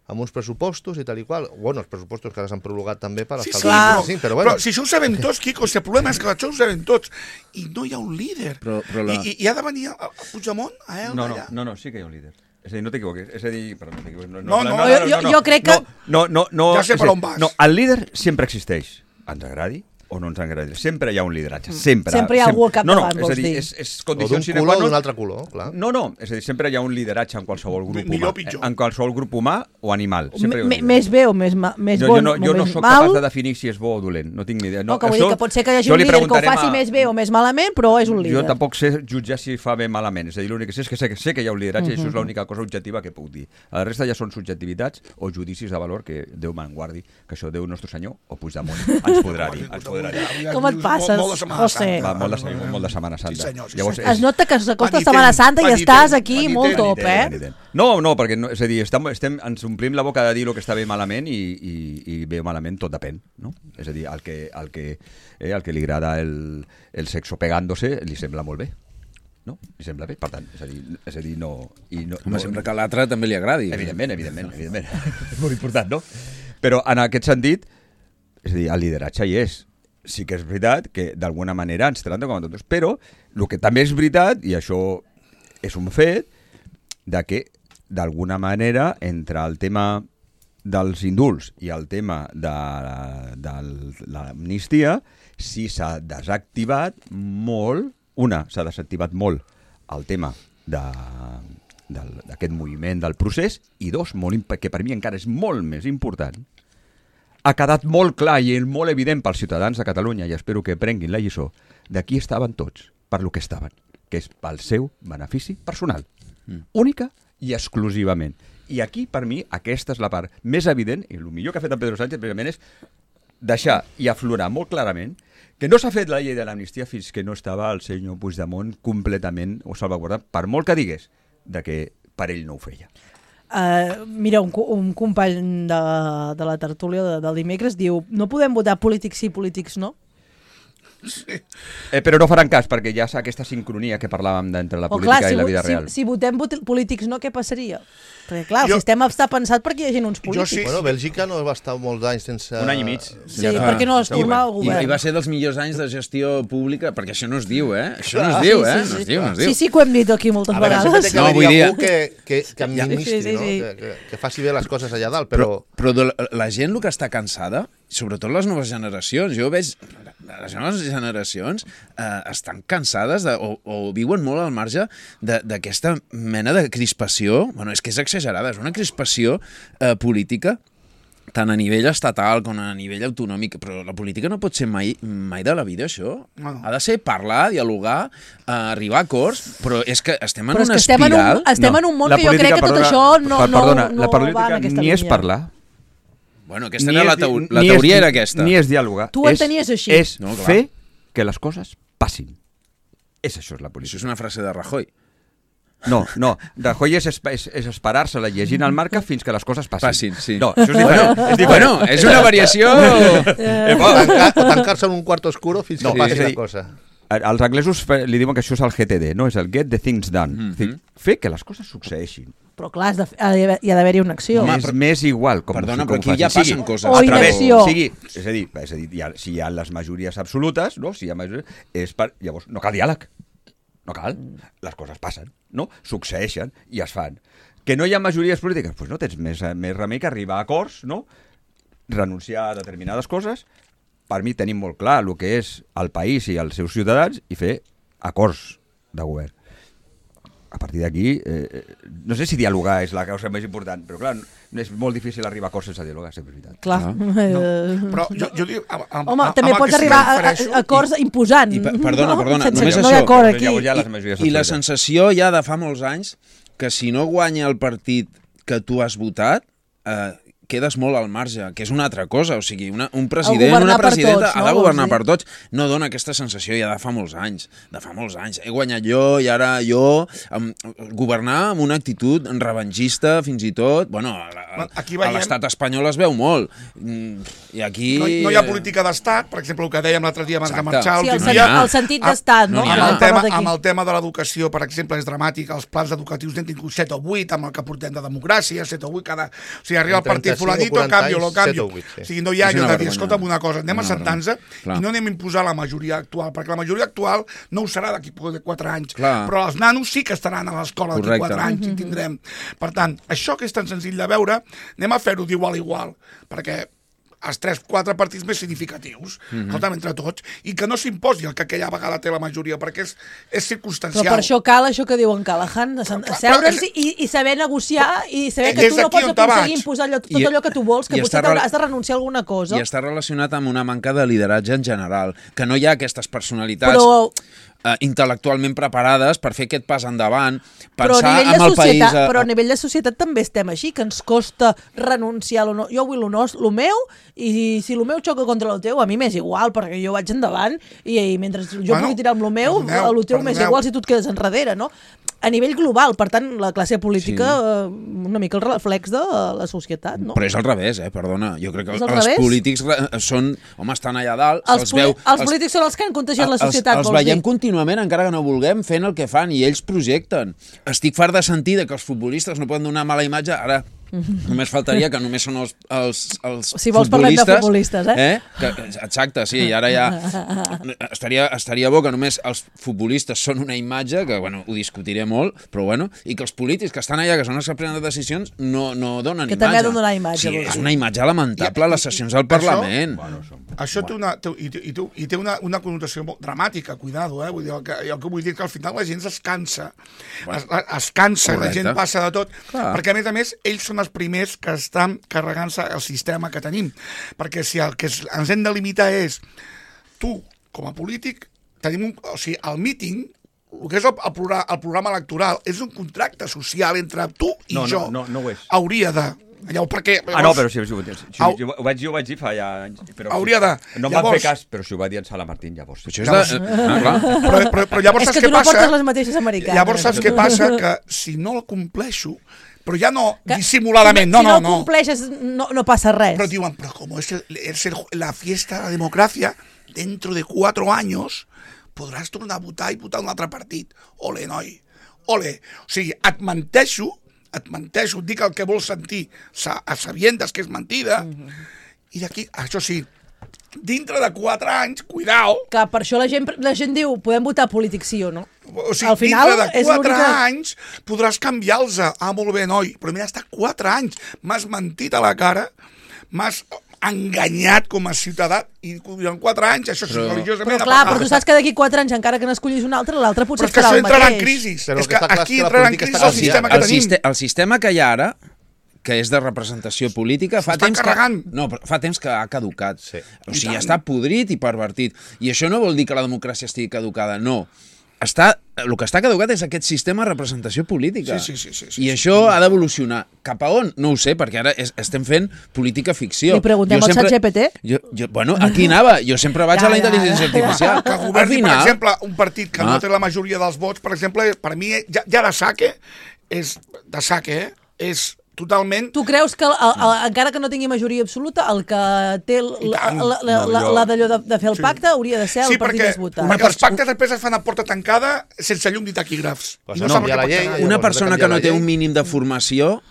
amb uns pressupostos i tal i qual. Bueno, els pressupostos que ara s'han prologat també per Sí, estar sí, al Clar. però, sí, però bueno. però si això ho sabem tots, Quico, si el problema és que això ho sabem tots. I no hi ha un líder. Però- però la- I, i, I ha de venir a, a Puigdemont, a Elda, No, no, allà. no, no, sí que hi ha un líder. És a dir, no t'equivoquis. És a dir, perdó, no t'equivoquis. No, No, no, jo- jo- jo crec que- No, no, no, Ja sé és per a dir, on vas. No, el líder sempre existeix. Ens agradi o no ens agradi. Sempre hi ha un lideratge. Sempre. Sempre hi ha algú al capdavant, no, no, és vols a dir, dir. és, és O condició d'un sine color qua o d'un non. altre color, clar. No, no, és a dir, sempre hi ha un lideratge en qualsevol grup Millor o humà. pitjor? En qualsevol grup humà o animal. Sempre hi ha un M- lideratge. més bé o més, ma, més jo, bon jo no, jo o no més sóc mal. capaç de definir si és bo o dolent, no tinc ni idea. No, que vull això- dir que pot ser que hi hagi això un li líder que ho preguntarem faci a- més bé o més malament, però és un líder. Jo tampoc sé jutjar si fa bé malament. És a dir, l'únic que sé és que sé, que sé que hi ha un lideratge i això és l'única cosa objectiva que puc dir. La resta ja són subjectivitats o judicis de valor que Déu me'n guardi, que això Déu nostre senyor o Puigdemont ens podrà dir. Ens podrà dir. Com et passes, Molt, molt de Setmana José? Santa. Va, molt, de, molt de Setmana Santa. Sí, senyor, sí, Llavors, senyor. Es nota que s'acosta Penitent, Setmana Santa i penitent, estàs aquí penitent, molt top, Penitent, eh? penitent. No, no, perquè no, és a dir, estem, estem, ens omplim la boca de dir el que està bé malament i, i, i bé o malament tot depèn, no? És a dir, el que, el que, eh, el que li agrada el, el sexo pegándose li sembla molt bé, no? Li sembla bé, per tant, és a dir, és a dir no... I no, Home, no sempre que a l'altre també li agradi. Evidentment, evidentment, evidentment. És molt important, no? Però en aquest sentit, és a dir, el lideratge hi és. Sí que és veritat que d'alguna manera ens tracten com a tontos, però el que també és veritat, i això és un fet, de que d'alguna manera entre el tema dels indults i el tema de, de l'amnistia sí s'ha desactivat molt, una, s'ha desactivat molt el tema de d'aquest moviment del procés i dos, molt, imp- que per mi encara és molt més important, ha quedat molt clar i molt evident pels ciutadans de Catalunya, i espero que prenguin la lliçó, de qui estaven tots, per lo que estaven, que és pel seu benefici personal, mm. única i exclusivament. I aquí, per mi, aquesta és la part més evident, i el millor que ha fet en Pedro Sánchez, precisament, és deixar i aflorar molt clarament que no s'ha fet la llei de l'amnistia fins que no estava el senyor Puigdemont completament o salvaguardat, per molt que digués de que per ell no ho feia. Uh, mira, un, un company de, de la tertúlia de, del dimecres diu no podem votar polítics sí, polítics no. Sí. Eh, però no faran cas, perquè ja és aquesta sincronia que parlàvem d'entre la O política clar, si, i la vida si, real. si votem polítics no, què passaria? Perquè clar, el Jo- sistema està pensat perquè hi hagi uns polítics. sí. Bueno, Bèlgica no va estar molts anys sense... Un any i mig. Sí, Ja fa- perquè no es sí, torna al I, govern. I va ser dels millors anys de gestió pública, perquè això no es diu, eh? Això no Clar. es diu, Sí, eh? sí, No sí. es diu, no es diu. Sí, sí que ho hem dit aquí moltes A veure, sempre vegades. té que No, haver-hi vull dir- algú que, que, que administri, Sí, sí, sí. no? Que, que, que faci bé les coses allà dalt, Però, però... però de la, la gent el que està cansada, sobretot les noves generacions, jo veig les noves generacions eh, estan cansades de, o, o viuen molt al marge de- d'aquesta mena de crispació, bueno, és que és exagerada, és una crispació eh, política tant a nivell estatal com a nivell autonòmic, però la política no pot ser mai, mai de la vida, això. No. Ha de ser parlar, dialogar, eh, arribar a acords, però és que estem en Però és una que estem en espiral... un, estem en un món La que jo política, crec que tot perdona, això no, per- no, perdona, no la va política en aquesta ni línia. és parlar, Bueno, aquesta ni era la, és- teo la ni teoria és, era aquesta. Ni és dialogar. Tu ho és, entenies així. És No, clar. fer que les coses passin. És això, és la Això política. és una frase de Rajoy. No, no. Rajoy és, esp és, és esperar-se-la llegint el marca fins que les coses passin. Passin, sí. No, això és diferent. Bueno, és diferent. bueno, és una variació... Eh, O bueno, tancar- o tancar-se en un quart oscuro fins que No, passi és a la dir, cosa. els anglesos fe- li diuen que això és el G T D, no? És el Get the Things Done. Mhm. És a dir, fer que les coses succeeixin. Però clar, has de, ha d'haver- hi ha d'haver-hi una acció. Home, és però- més igual. Com, Perdona, com però aquí ja faci. passen Sigui coses. O a través, inacció. sigui, és a dir, és a dir hi ha, si hi ha les majories absolutes, no? Si hi ha majories, és per, llavors no cal diàleg. No cal. Les coses passen, no? Succeeixen i es fan. Que no hi ha majories polítiques? Doncs pues no tens més, més remei que arribar a acords, no? Renunciar a determinades coses. Per mi tenim molt clar el que és el país i els seus ciutadans i fer acords de govern. A partir d'aquí, eh, no sé si dialogar és la causa més important, però clar, és molt difícil arribar a acords sense dialogar, sempre és veritat. Clar. No, Eh, però jo, jo dic... Amb, amb, Home, amb, també amb el pots que sí arribar a, refereixo a acords imposant. I, pe- perdona, perdona, Sense només que no això. hi ha acord Però aquí. llavors ja les majories I la absolutes. sensació ja de fa molts anys que si no guanya el partit que tu has votat, eh, quedes molt al marge, que és una altra cosa. O sigui, una, un president, governar una per presidenta tots, ha no? de governar Vols per dir? tots. No dona aquesta sensació ja de fa molts anys. De fa molts anys. He guanyat jo i ara jo... Amb, governar amb una actitud revanxista, fins i tot... Bueno, a, Aquí a veiem- l'estat espanyol es veu molt. Mm, I aquí... No, no hi ha política d'estat, per exemple, el que dèiem l'altre dia amb Exacte. Marçal, Sí, el, l'últim sen dia, el sentit Ah, d'estat, no? no n'hi ha. amb, el Hem tema, parlat aquí. amb el tema de l'educació, per exemple, és dramàtic. Els plans educatius n'hem tingut set o vuit, amb el que portem de democràcia, set o vuit cada... O sigui, arriba el partit trenta-cinc o fulanito, quaranta canvio, lo anys, set canvio. o vuit, sí. O sigui, no hi ha És allò una de dir, vergonya. escolta'm una cosa, anem Una a sentar-nos Clar. i no anem a imposar la majoria actual, perquè la majoria actual no ho serà d'aquí a quatre anys, Clar. però els nanos sí que estaran a l'escola d'aquí Correcte. quatre anys i tindrem. Per tant, això que és tan senzill de veure, anem a fer-ho d'igual a igual, perquè els tres, quatre partits més significatius, Mhm. escolta'm, entre tots, i que no s'imposi el que aquella vegada té la majoria, perquè és, és circumstancial. Però per això cal això que diu en Callahan, de sen- Però- però asseure'ns és- i, i saber negociar i saber És que tu no aquí pots on te aconseguir vaig. imposar allò, tot I- allò que tu vols, que i potser està rel- has de renunciar a alguna cosa. I està relacionat amb una manca de lideratge en general, que no hi ha aquestes personalitats Però- eh, intel·lectualment preparades per fer aquest pas endavant, Però a, pensar nivell de amb el país... societat, eh, però a nivell de societat també estem així, que ens costa renunciar a lo, no, jo vull lo, nos, lo meu i si lo meu xoca contra lo teu, a mi m'és igual, perquè jo vaig endavant i, i mentre jo Bueno, pugui tirar amb lo meu, perdoneu, a lo teu m'és perdoneu. igual si tu et quedes enrere, no? A nivell global, per tant, la classe política sí. eh, una mica el reflex de la societat, no? Però és al revés, eh? Perdona. Jo crec que És al els revés? polítics eh, són... Home, estan allà dalt, Els, se'ls poli veu... els polítics són els que han contagiat la societat, els, els vols veiem dir? contínuament, encara que no vulguem, fent el que fan, i ells projecten. Estic fart de sentir que els futbolistes no poden donar mala imatge, ara només faltaria que només són els, els, els Si vols parlem de futbolistes, eh? eh? Que, exacte, sí, i ara ja... Estaria, estaria bo que només els futbolistes són una imatge, que bueno, ho discutiré molt, però bueno, i que els polítics que estan allà, que són els que prenen decisions, no, no donen Que imatge. també ha de donar imatge, Sí, vols és dir. una imatge lamentable a les sessions del Això- Parlament. Això té una, té, i, té- i, té, i té una, una connotació molt dramàtica, cuidado, eh? Vull dir, el que, el que vull dir que al final la gent es cansa, es, es cansa, Correcte. la gent passa de tot, Clar. perquè a més a més ells són els primers que estan carregant-se el sistema que tenim, perquè si el que es, ens hem de limitar és tu, com a polític, tenim un, o sigui, el míting, el que és el, el, programa, el programa electoral és un contracte social entre tu i No, no, jo. no, no ho és. Hauria de Llavors, perquè... Ah, no, però si, si, si, si, Au. si, ho vaig dir, ho vaig dir fa ja anys. Però, Hauria de- No em van llavors- fer cas, però si ho va dir en Sala Martín, llavors. Això és de... Ah, clar. Però, però, però llavors És saps que què tu no passa? portes les mateixes americanes. Llavors saps què passa? Que si no el compleixo, però ja no Que- dissimuladament, no, si no, no no. compleixes, no, no passa res. Pero digo, pero como es, el, es el- la fiesta de la democracia, dentro de cuatro años podràs tornar a votar i votar un altre partit. Ole, noi, ole. O sigui, et menteixo, et menteixo, et dic el que vols sentir, sa, a sabiendes que és mentida, i d'aquí, això sí, dintre de quatre anys, cuidao, Que per això la gent, la gent diu, podem votar polític sí o no. o sigui, Al final, dintre de és quatre l'única- anys podràs canviar-los. Ah, molt bé, noi, però mira, està quatre anys, m'has mentit a la cara, m'has enganyat com a ciutadà, i durant quatre anys, això sí, Però- religiosament... Però clar, ha però tu passat. saps que d'aquí quatre anys, encara que n'escollis un altre, l'altre potser Però és que farà això el entrarà en mateix. crisi. Però el És que que està clar és aquí que la entrarà en política crisi està el sistema que el, tenim. siste el sistema que hi ha ara, que és de representació política, fa S'està temps que, carregant. no, però fa temps que ha caducat. Sí. O I sigui, tant. està podrit i pervertit. I això no vol dir que la democràcia estigui caducada, no. Està, el que està caducat és aquest sistema de representació política. Sí, sí, sí, sí, sí, I sí. això ha d'evolucionar. Cap a on? No ho sé, perquè ara és, estem fent política ficció. Li preguntem Jo al sempre- ChatGPT? Jo, jo, bueno, aquí anava. Jo sempre vaig Ja, a la ja, intel·ligència ja. artificial. Que Al governi, per final, exemple, un partit que Ah. no té la majoria dels vots, per exemple, per mi, ja, ja de saque, és de saque, eh? És totalment... Tu creus que, el, el, encara que no tingui majoria absoluta, el que té l- I la, tant. la, la, No, la, jo- la d'allò de, de fer el Sí. pacte hauria de ser el Sí, partit perquè, més votat. perquè els pactes després es fan a porta tancada sense llum ni taquígrafs. Pues I no, saps hi ha el la que pot llei, quedar. Llavors, una has de persona canviar que no la té llei. un mínim de formació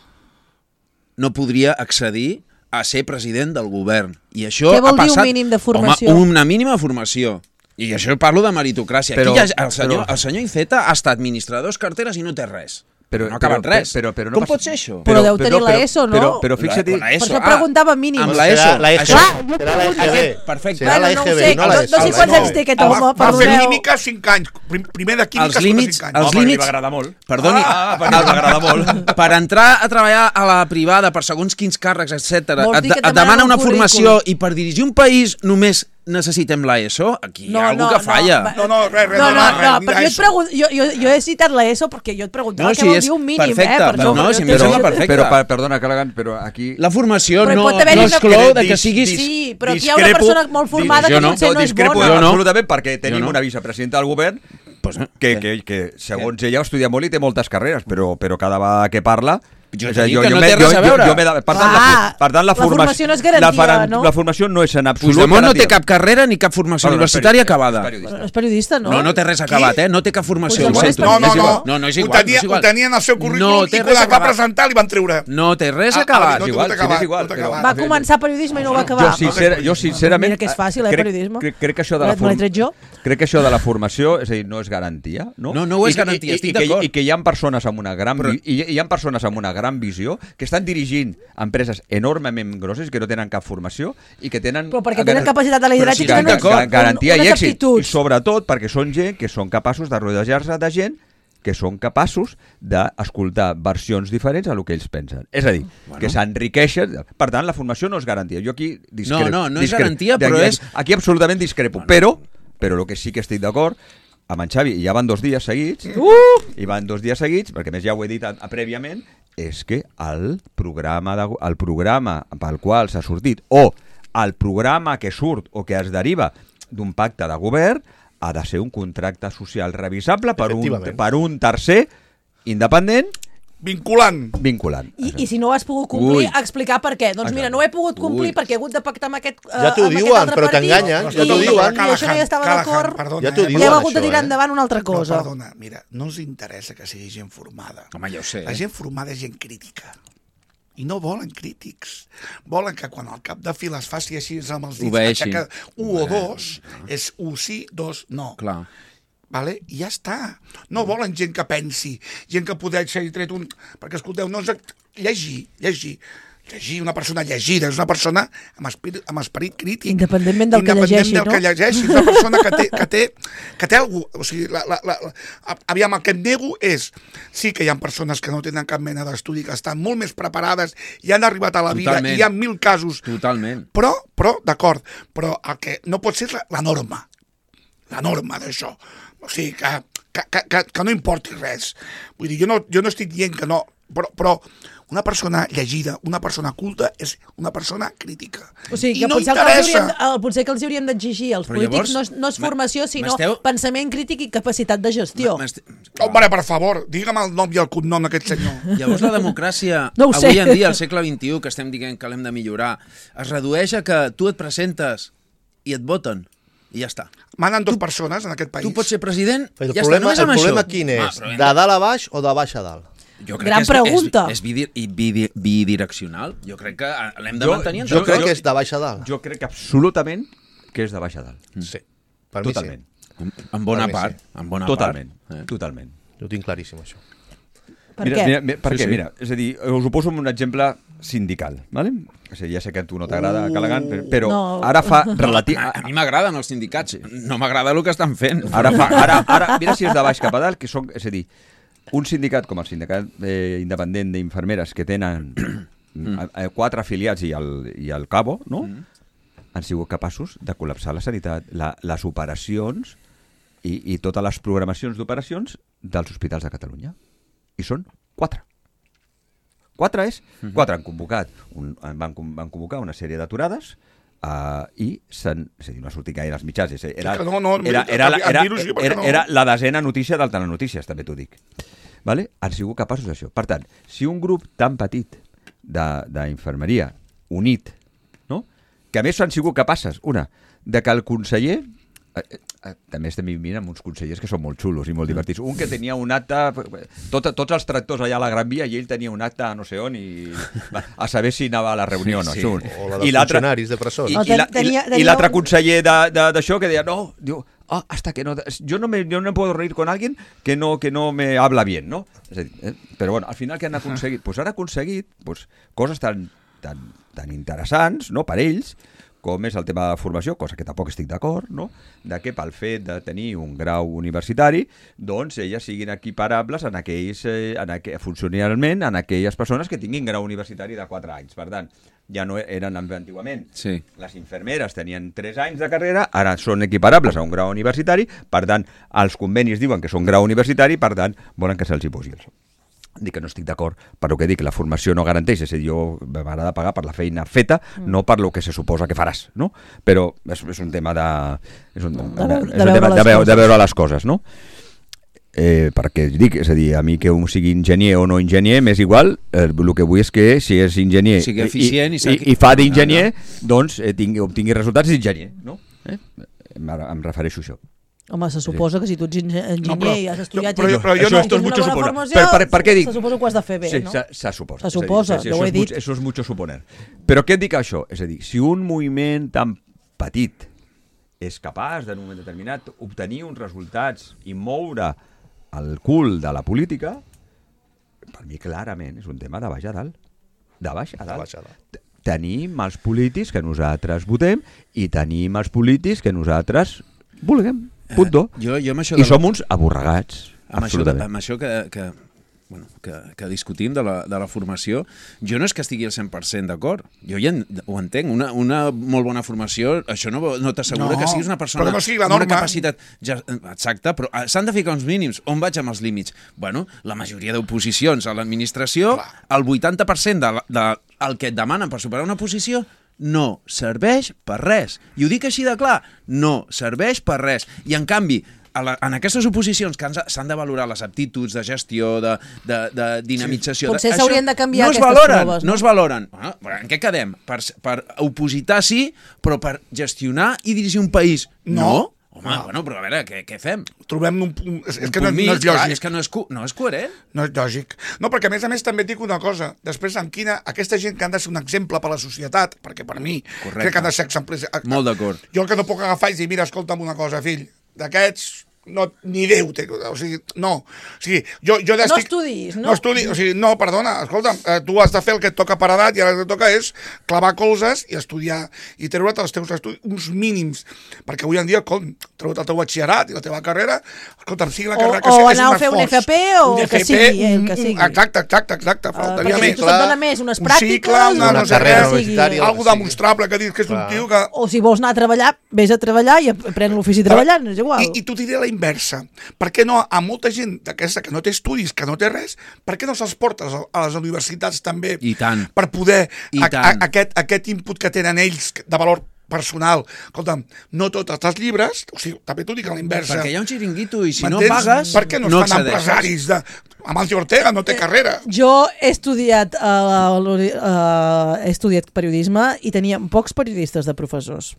no podria accedir a ser president del govern. I això Què vol ha dir un passat... mínim de formació? Home, una mínima formació. I això parlo de meritocràcia. Però- Aquí hi ha, el, senyor, però- el senyor Iceta ha estat administrador de carteres i no té res. Però- no ha acabat però- res. però- però no Com passa- pot ser això? Però deu tenir la ESO, no? Però, però fixa't... La- la ESO, Per això ah, preguntava mínims. Amb la ESO. Serà la E G B. Això- Clar, Serà la E G B. Perfecte. Serà la Bueno, no ho E G B, sé, no la no, ESO. no sé la quants E G B. anys té aquest Va, home, va fer perdoneu. química cinc anys. Prim- Primer de química Els sobre límits- cinc els anys. Home, límits- li va agradar molt. Perdoni, Ah, perquè li va agradar molt. per entrar a treballar a la privada per segons quins càrrecs, etcètera, Vols et, dir que et et demana demanen una un formació currículum. i per dirigir un país només necessitem la ESO? Aquí hi No, ha algú no, que falla. no, No, no, res, res, No, no, no, res, no, ni però jo, et d'ESO. pregun... jo, jo, jo he citat la ESO perquè jo et preguntava No, què sí, vol és dir un mínim, perfecte, eh? Per però això, no, jo si em t'he sembla dit- perfecte. Però, per, perdona, Callaghan, però aquí... La formació Però no, pot haver-hi no una- exclou de que Dis- siguis... dis- Sí, però aquí hi ha una discrepo- persona molt formada Jo que no. potser no és discrepo bona. Jo no. absolutament perquè tenim no. una vicepresidenta del govern Pues, no. que, Què? que, que segons ella estudia molt i té moltes carreres, però, però cada vegada que parla... Jo és t'he a dit dir, que no me- té res a veure. Jo, me da, per, tant, la, Clar, fu- per tant, la, la formació no és garantia, la, faran- no? la formació no és en absolut Puigdemont no té garantia. cap carrera ni cap formació Bueno, no, és universitària peri- acabada. és periodista. Però és periodista, no? No, no té res acabat, eh? No té cap formació. Puigdemont ho és sento. No, no, És igual. no. No, no és Ho igual. tenia, no és igual. ho tenia en el seu currículum No i té quan res es va acabat. presentar li van treure. No té res Ah, acabat. no, És tot igual, acabat, és igual, tot però- acabat. Va començar periodisme i no ho va acabar. Jo, sincer, jo sincerament... Mira que és fàcil, eh, crec, periodisme. Crec, crec, que això de la Me l'he tret jo. crec que això de la formació, és a dir, no és garantia, no? No, no ho és I que- garantia, i, estic i, que, d'acord. I que hi ha persones amb una gran Però- vi- i, i hi ha persones amb una gran visió que estan dirigint empreses enormement grosses que no tenen cap formació i que tenen Però perquè tenen capacitat de lideratge Però i si tenen estic d'acord. un- garantia unes i èxit. I aptituds. sobretot perquè són gent que són capaços de rodejar-se de gent que són capaços d'escoltar versions diferents a el que ells pensen. És a dir, bueno. que s'enriqueixen... Per tant, la formació no és garantia. Jo aquí discrepo. No, no, no és discrepo. garantia, Aquí- però és- Aquí absolutament discrepo. Però, però el que sí que estic d'acord amb en Xavi, i ja van dos dies seguits, uh! i van dos dies seguits, perquè a més ja ho he dit a, a prèviament, és que el programa, de, el programa pel qual s'ha sortit, o el programa que surt o que es deriva d'un pacte de govern, ha de ser un contracte social revisable per un, Efectivament. per un tercer independent Vinculant. vinculant. I, I si no ho has pogut complir, Ui. explicar per què. Doncs mira, no ho he pogut complir Ui. perquè he hagut de pactar amb aquest, eh, Ja t'ho amb aquest diuen, altre però partit, t'enganyen, i- ja t'ho diuen. I això no hi estava d'acord. Perdona, Ja t'ho eh, I diuen, hem hagut de això, tirar eh? endavant una altra No, cosa. perdona, mira, no ens interessa que sigui gent formada. Home, ja ho sé. La gent formada és gent crítica. I no volen crítics. Volen que quan al cap de fila es faci així amb els dits, Obeeixi. aixeca un o dos, és un sí, dos no. Clar. Vale? I ja està. No volen gent que pensi, gent que poder ser tret un... Perquè, escolteu, no és... Llegir, llegir. Llegir, una persona llegida, és una persona amb esperit, amb esperit crític. Independentment del que Independent llegeixi, del no? que llegeixi. És una persona que té, que té, que té algú... O sigui, la, la, la, la, aviam, el que em nego és... Sí que hi ha persones que no tenen cap mena d'estudi, que estan molt més preparades i han arribat a la vida, Totalment. i hi ha mil casos. Totalment. Però, però d'acord, però el que no pot ser és la, la norma. La norma d'això. O sigui, que, que, que, que no importi res. Vull dir, jo no, jo no estic dient que no, però, però una persona llegida, una persona culta, és una persona crítica. O sigui, I que no potser, que els interessa... hauríem, el, potser que els hauríem d'exigir als Però polítics llavors, no és, no és formació, sinó m'esteu- pensament crític i capacitat de gestió. M'est- Home, per favor, digue'm el nom i el cognom d'aquest senyor. Llavors la democràcia, No ho sé. avui en dia, al segle vint-i-u, que estem dient que l'hem de millorar, es redueix a que tu et presentes i et voten, i ja està. Manen dos persones en aquest país. Tu pots ser president, El ja problema, està, només el amb problema això. quin Ah, és? però De vinga. dalt a baix o de baix a dalt? Jo crec Gran que és, pregunta. És, és bidi, i bidi, bidireccional. Jo crec que l'hem de Jo- mantenir. en Jo tot crec cas. que és de baix a dalt. Jo crec que absolutament que és de baix a dalt. Sí. Per mi Totalment. En bona Per mi part. sí. En bona Totalment. part. Eh? Totalment. sí. Ho tinc claríssim, això. Per mira, què? Mira, mira, per Sí, què? sí. Mira, és a dir, us ho poso amb un exemple sindical, ¿vale? O sigui, ja sé que a tu no t'agrada, Uh, Callaghan, però, però no. ara fa relatiu... A, a mi m'agraden els sindicats. No m'agrada el que estan fent. Ara, fa, ara, ara, mira si és de baix cap a dalt, que són, és a dir, un sindicat com el sindicat eh, independent d'infermeres que tenen mm. eh, quatre afiliats i el, i el Cabo, no? Mm. Han sigut capaços de col·lapsar la sanitat, la, les operacions i, i totes les programacions d'operacions dels hospitals de Catalunya. I són quatre. Quatre és, mm-hmm. quatre han convocat, un, van, van convocar una sèrie d'aturades uh, i s'han, és a dir, no ha sortit gaire als mitjans, és a dir, era, Que no, no, era, era, la- era, dir-ho sí, perquè era, no. era la desena notícia del Telenotícies, també t'ho dic. Vale? Han sigut capaços d'això. Per tant, si un grup tan petit de- d'infermeria unit, no? Que a més han sigut capaces, una, de que el conseller... Eh, eh, també estem vivint amb uns consellers que són molt xulos i molt divertits. Un que tenia un acte, tot, tots els tractors allà a la Gran Via, i ell tenia un acte a no sé on, i a saber si anava a la reunió o no. Sí. Això, un. O la dels I l'altre- funcionaris de presó. I, No, i, la, tenia- i, tenia i l'altre un- conseller de- de- d'això que deia, no, diu, ah, hasta que no, yo no me, yo no puedo reír con alguien que no, que no me habla bien, ¿no? És a dir, eh? Però bueno, al final què han aconseguit? Pues han aconseguit pues, coses tan, tan, tan interessants, no?, per ells, com és el tema de formació, cosa que tampoc estic d'acord, no?, de que pel fet de tenir un grau universitari, doncs elles siguin equiparables en aquells, eh, en aqu funcionalment en aquelles persones que tinguin grau universitari de quatre anys. Per tant, ja no eren antigament. Sí. Les infermeres tenien tres anys de carrera, ara són equiparables a un grau universitari, per tant, els convenis diuen que són grau universitari, per tant, volen que se'ls hi posi això. Dic que no estic d'acord, però que dic que la formació no garanteix, és a dir, jo m'agrada pagar per la feina feta, mm. no per lo que se suposa que faràs, no? Però és, és un tema de... És un, De veure- és de un veure tema les de, veure, coses. de veure les coses, no? Eh, perquè dic, és a dir, a mi que un sigui enginyer o no enginyer, m'és igual, eh, el que vull és que si és enginyer Sigui eficient i i, sàpiga- i, i fa d'enginyer, doncs eh, tingui, obtingui resultats d'enginyer, no? Eh? Em, em refereixo a això. Home, se suposa que si tu ets engi- enginyer No, però- i has estudiat... però- i- però jo i no- tens esto es una mucho bona suponer. formació, Per- per- per què dic? Se suposa que ho has de fer bé, Sí, no? se, se suposa. Se És a dir, suposa, sí, sí, jo ho això he és dit. mucho- Això és mucho suponer. Però què et dic això? És a dir, si un moviment tan petit és capaç en un moment determinat obtenir uns resultats i moure el cul de la política, per mi clarament és un tema de baix a dalt. De baix a De dalt. baix a dalt. T- Tenim els polítics que nosaltres votem i tenim els polítics que nosaltres vulguem. Punto. Eh, jo, jo amb això I de la- som uns aborregats. amb això, de, Absolutament. amb això que, que, bueno, que, que discutim de la, de la formació, jo no és que estigui al cent per cent d'acord. Jo ja en, ho entenc. Una, una molt bona formació, això no, no t'assegura No, que siguis una persona però que no sigui la amb una norma. capacitat... Ja, exacte, però ah, s'han de ficar uns mínims. On vaig amb els límits? Bueno, la majoria d'oposicions a l'administració, el vuitanta per cent de, la- de el que et demanen per superar una posició no serveix per res. I ho dic així de clar, no serveix per res. I en canvi, a la, en aquestes oposicions que ens- s'han de valorar les aptituds de gestió, de, de, de dinamització... Potser de, s'haurien això de canviar no es aquestes valoren, proves, no? No es valoren. Bueno, però en què quedem? Per, per opositar sí, però per gestionar i dirigir un país no? No. Home, bueno, però a veure, què, què fem? Trobem un, un, és, és Un que no, punt mig, no és clar, lògic. és que no és, co- no és coherent. No és lògic. No, perquè a més a més també et dic una cosa. Després, en quina... Aquesta gent que han de ser un exemple per a la societat, perquè per mi Correcte. crec que han de ser exemples... Molt d'acord. Jo el que no puc agafar és dir, mira, escolta'm una cosa, fill, d'aquests no, ni Déu té... O sigui, no. O sigui, jo, jo No estic... estudis, no? No estudis, o sigui, no, perdona, escolta'm, eh, tu has de fer el que et toca per edat i ara el que et toca és clavar colzes i estudiar i treure't els teus estudis, uns mínims, perquè avui en dia, com, tregut el teu batxillerat i la teva carrera, escolta, sigui la O- carrera que o sigui, és anar un a fer un esforç. F P o Un que F P, sigui, el un- que un- sigui. Exacte, exacte, exacte, Uh, faltaria perquè més. si tu et dona més unes Un pràctiques... cicle, una una no sé carrera res, universitària, algo sí. demostrable que dius que és un Clar. tio que... O si vols anar a treballar, vés a treballar i aprèn l'ofici treballant, és igual. I, i t'ho diré a la inversa. Per què no a molta gent d'aquesta que no té estudis, que no té res, per què no se'ls portes a, a les universitats també I tant. per poder I a, a, tant. aquest, aquest input que tenen ells de valor personal. Escolta'm, no totes les llibres, o sigui, també t'ho dic a la inversa. Perquè hi ha un xiringuito i si no M'entens? pagues, Per què no, no es fan accedeixes. empresaris de... Amancio Ortega no té carrera. Jo he estudiat, uh, uh, he estudiat periodisme i tenia pocs periodistes de professors.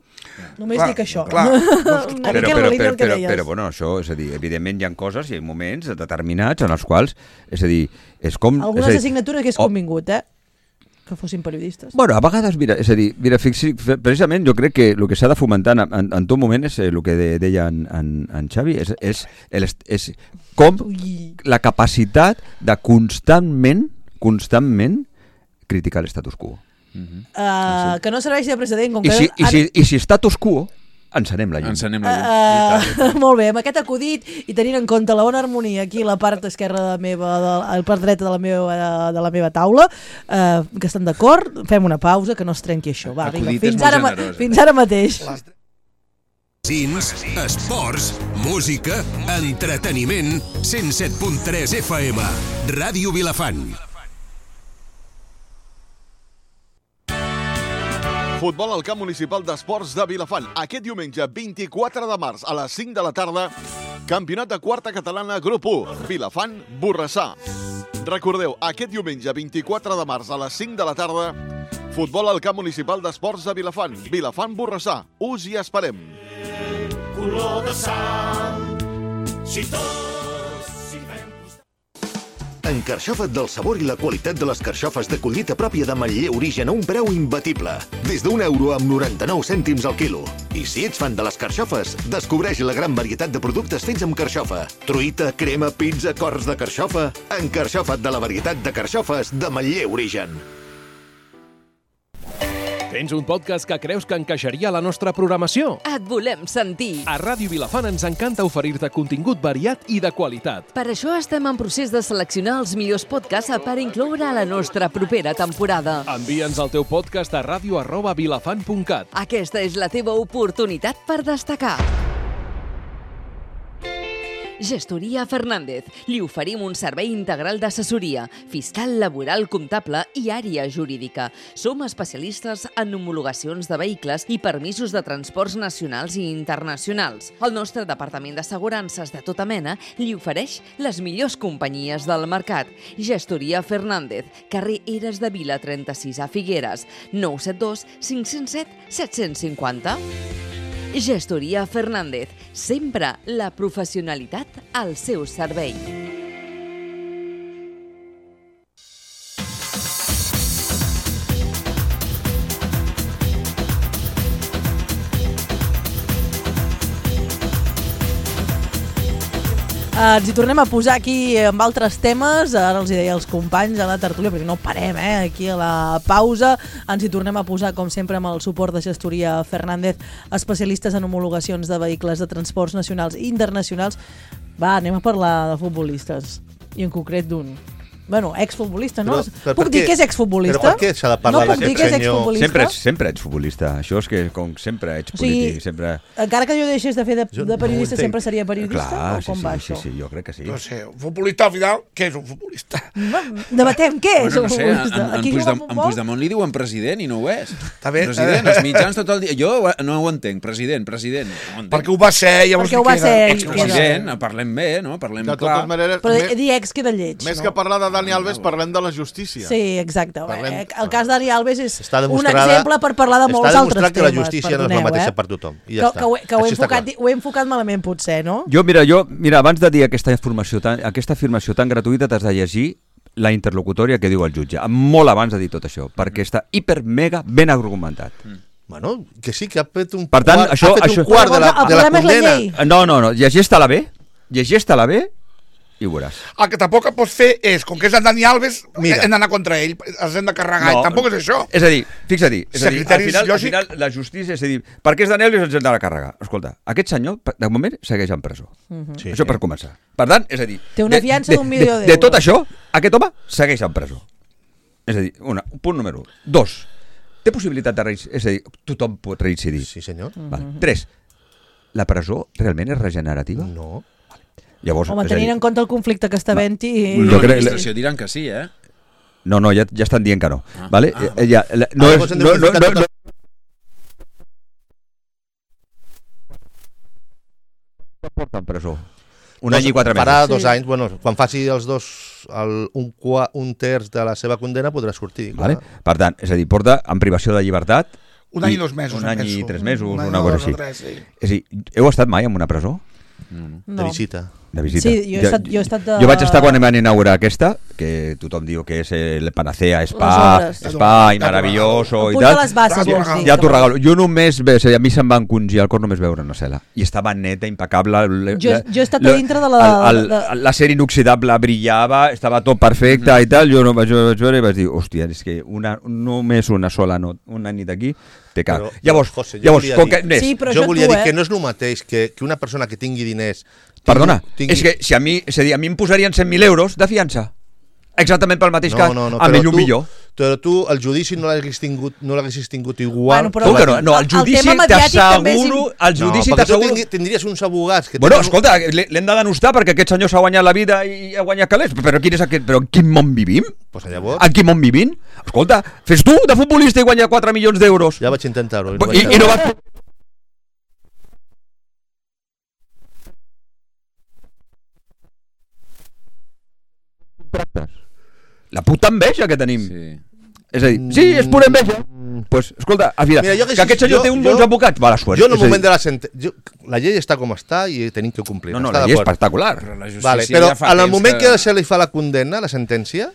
Només Clar, dic això. clar. Una Però, mica en però, la línia però, del que però, deies. però, bueno, això, és a dir, evidentment hi ha coses, hi ha moments determinats en els quals, és a dir, és com... Algunes és a dir, assignatures hagués o- convingut, eh? Que fossin periodistes. Bueno, a vegades, mira, és a dir, mira, fixi, precisament jo crec que el que s'ha de fomentar en, en, en tot moment és el que de, deia en, en, en Xavi, és, és, el, és com Ui. la capacitat de constantment, constantment criticar l'estatus quo. Uh, que no serveixi de precedent. Com I que si, i, ara- si, I si status quo, encenem la llum. Encenem la llum. I tant, i tant. Uh, molt bé, amb aquest acudit i tenint en compte la bona harmonia aquí a la part esquerra de la meva, de, a la part dreta de la meva, de la meva taula, uh, que estan d'acord, fem una pausa, que no es trenqui això. Va, vinga, Acudit és fins molt ara, ma- generós, eh? fins ara mateix. Magazins, esports, música, entreteniment, cent set punt tres F M, Ràdio Vilafant. Futbol al camp municipal d'esports de Vilafant. Aquest diumenge, vint-i-quatre de març, a les cinc de la tarda, campionat de quarta catalana, grup u, Vilafant, Borrassà. Recordeu, aquest diumenge, vint-i-quatre de març, a les cinc de la tarda, futbol al camp municipal d'esports de Vilafant. Vilafant, Borrassà. Us hi esperem. En Carxofet del sabor i la qualitat de les carxofes de collita pròpia de Manller Origen a un preu imbatible. Des d'un euro amb noranta-nou cèntims al quilo. I si ets fan de les carxofes, descobreix la gran varietat de productes fets amb carxofa. Truita, crema, pizza, cors de carxofa. En Carxofet de la varietat de carxofes de Manller Origen. Tens un podcast que creus que encaixaria a la nostra programació? Et volem sentir. A Ràdio Vilafant ens encanta oferir-te contingut variat i de qualitat. Per això estem en procés de seleccionar els millors podcasts per incloure a la nostra propera temporada. Envia'ns el teu podcast a ràdio arroba vilafant punt cat. Aquesta és la teva oportunitat per destacar. Gestoria Fernández. Li oferim un servei integral d'assessoria, fiscal, laboral, comptable i àrea jurídica. Som especialistes en homologacions de vehicles i permisos de transports nacionals i internacionals. El nostre departament d'assegurances de tota mena li ofereix les millors companyies del mercat. Gestoria Fernández, carrer Eres de Vila trenta-sis a Figueres, nou set dos cinc zero set set cinc zero. Gestoria Fernández, sempre la professionalitat al seu servei. Uh, ens hi tornem a posar aquí amb altres temes, ara els hi deia als companys a la tertúlia, perquè no parem, eh, aquí a la pausa, ens hi tornem a posar com sempre amb el suport de Gestoria Fernández, especialistes en homologacions de vehicles de transports nacionals i internacionals. Va, anem a parlar de futbolistes, i en concret d'un. Bueno, exfutbolista, no? Però- però Puc per dir què- que és exfutbolista? però per què s'ha de parlar no puc dir d'aquest que és senyor? exfutbolista? Sempre ets, sempre ets futbolista. Això és que com sempre ets O sigui, polític. Sempre... Encara que jo deixés de fer de, Jo de no periodista, ho entenc. sempre seria periodista? Clar, o sí, com sí, va sí, això? sí, jo crec que sí. No sé, un futbolista al final, què és un futbolista? Debatem què és Bueno, un no sé, en, futbolista. en, Aquí Puigdem, juga en futbol? Puigdemont li diuen president i no ho és. Està bé, President, està bé. els mitjans tot el dia. Jo no ho entenc, president, president. No ho entenc. Perquè ho va ser, llavors Perquè ho li va queda ser, i Expresident, parlem bé, no? Parlem De clar. totes maneres, Però més, dir ex queda lleig. més no? que parlar de Dani Alves, parlem de la justícia. Sí, exacte. Parlem- Eh, El cas d'Ari Alves és Està un demostrada- exemple per parlar de molts està altres demostrat que temes. la justícia no és la perdoneu, mateixa eh? per tothom. I ja que, està. que, ho, he- que ho, he Així està enfocat, clar. ho he enfocat malament, potser, no? Jo, mira, jo, mira, abans de dir aquesta informació tan, aquesta afirmació tan gratuïta t'has de llegir la interlocutòria que diu el jutge, molt abans de dir tot això, perquè està hiper, mega ben argumentat. Bueno, que sí, que ha fet un Per tant, quart, això- ha fet això- un quart de la, El de la problema és la condena. llei. No, no, no, llegeix-te-la bé, llegeix-te-la bé, i ho veuràs. El que tampoc pots fer és, com que és en Dani Alves, Mira. hem d'anar contra ell, els hem de carregar, no, i tampoc és això. És a dir, fixa't-hi, és a dir, al final, al lògic... final la justícia és a dir, per què és Dani Alves ens hem de carregar? Escolta, aquest senyor, de moment, segueix en presó. Uh-huh. Sí, això sí. Per començar. Per tant, és a dir... Té una fiança d'un milió d'euros. De tot això, aquest home segueix en presó. És a dir, una, punt número un. Dos, té possibilitat de reincidir, és a dir, tothom pot reincidir. Sí, senyor. Uh-huh. Val. Tres, la presó realment és regenerativa? No. Llavors, home, tenint en compte el conflicte que està havent-hi... L'administració diran que sí, eh? No, no, ja, ja estan dient que no. Ah, vale? ah, eh, ja, la, no, ah, és, no, no, no, no, no porta en presó. Un dos, any i quatre mesos. Farà dos sí. anys, bueno, quan faci els dos, el, un, qua, un terç de la seva condena podrà sortir. Vale? Per tant, és a dir, porta en privació de llibertat un any i dos mesos. Un any i tres mesos, un una cosa així. Tres, sí. És a dir, heu estat mai en una presó? No. De visita. De visita. Sí, jo he estat, jo he estat de... Jo vaig estar quan van inaugurar aquesta, que tothom diu que és el panacea, spa, spa i maravilloso i tal. Les bases, vols dir. Ja t'ho regalo. Jo només, bé, a mi se'm va encongir el cor només veure una cel·la. I estava neta, impecable. Jo, jo he estat a dintre de la... El, el, l'acer inoxidable brillava, estava tot perfecte mm. i tal. Jo no vaig, vaig veure i vaig dir, hòstia, és que una, només una sola no, una nit aquí te cal. Però, llavors, José, jo llavors volia com dir, que, sí, però jo volia tu, dir eh? que no és el mateix que, que una persona que tingui diners... Tingui, Perdona, tingui... és que si a mi, és a dir, a mi em posarien cent mil euros de fiança. Exactament pel mateix no, cas, no, no, amb ell un tu, millor. Però tu el judici no l'haguessis tingut, no l'haguessis tingut igual... Bueno, però no, no, no, el judici t'asseguro... El judici no, t'asseguro... tu tindries uns abogats... Que bueno, tenen... escolta, l'hem de denostar perquè aquest senyor s'ha guanyat la vida i ha guanyat calés. Però, quin és aquest, però en quin món vivim? Pues llavors... En quin món vivim? Escolta, fes tu de futbolista i guanyar quatre milions d'euros. Ja vaig intentar-ho. I, no I, i no vas... La puta enveja que tenim. Sí. És a dir, sí, és pura enveja. Doncs, pues, escolta, al final, Mira, que, que aquest senyor jo, té un bons advocats, va, la suert. Jo en el moment de la sentència... La llei està com està i tenim que complir. No, no, la llei és espectacular. Però, la vale, però ja en el moment que... que se li fa la condemna, la sentència,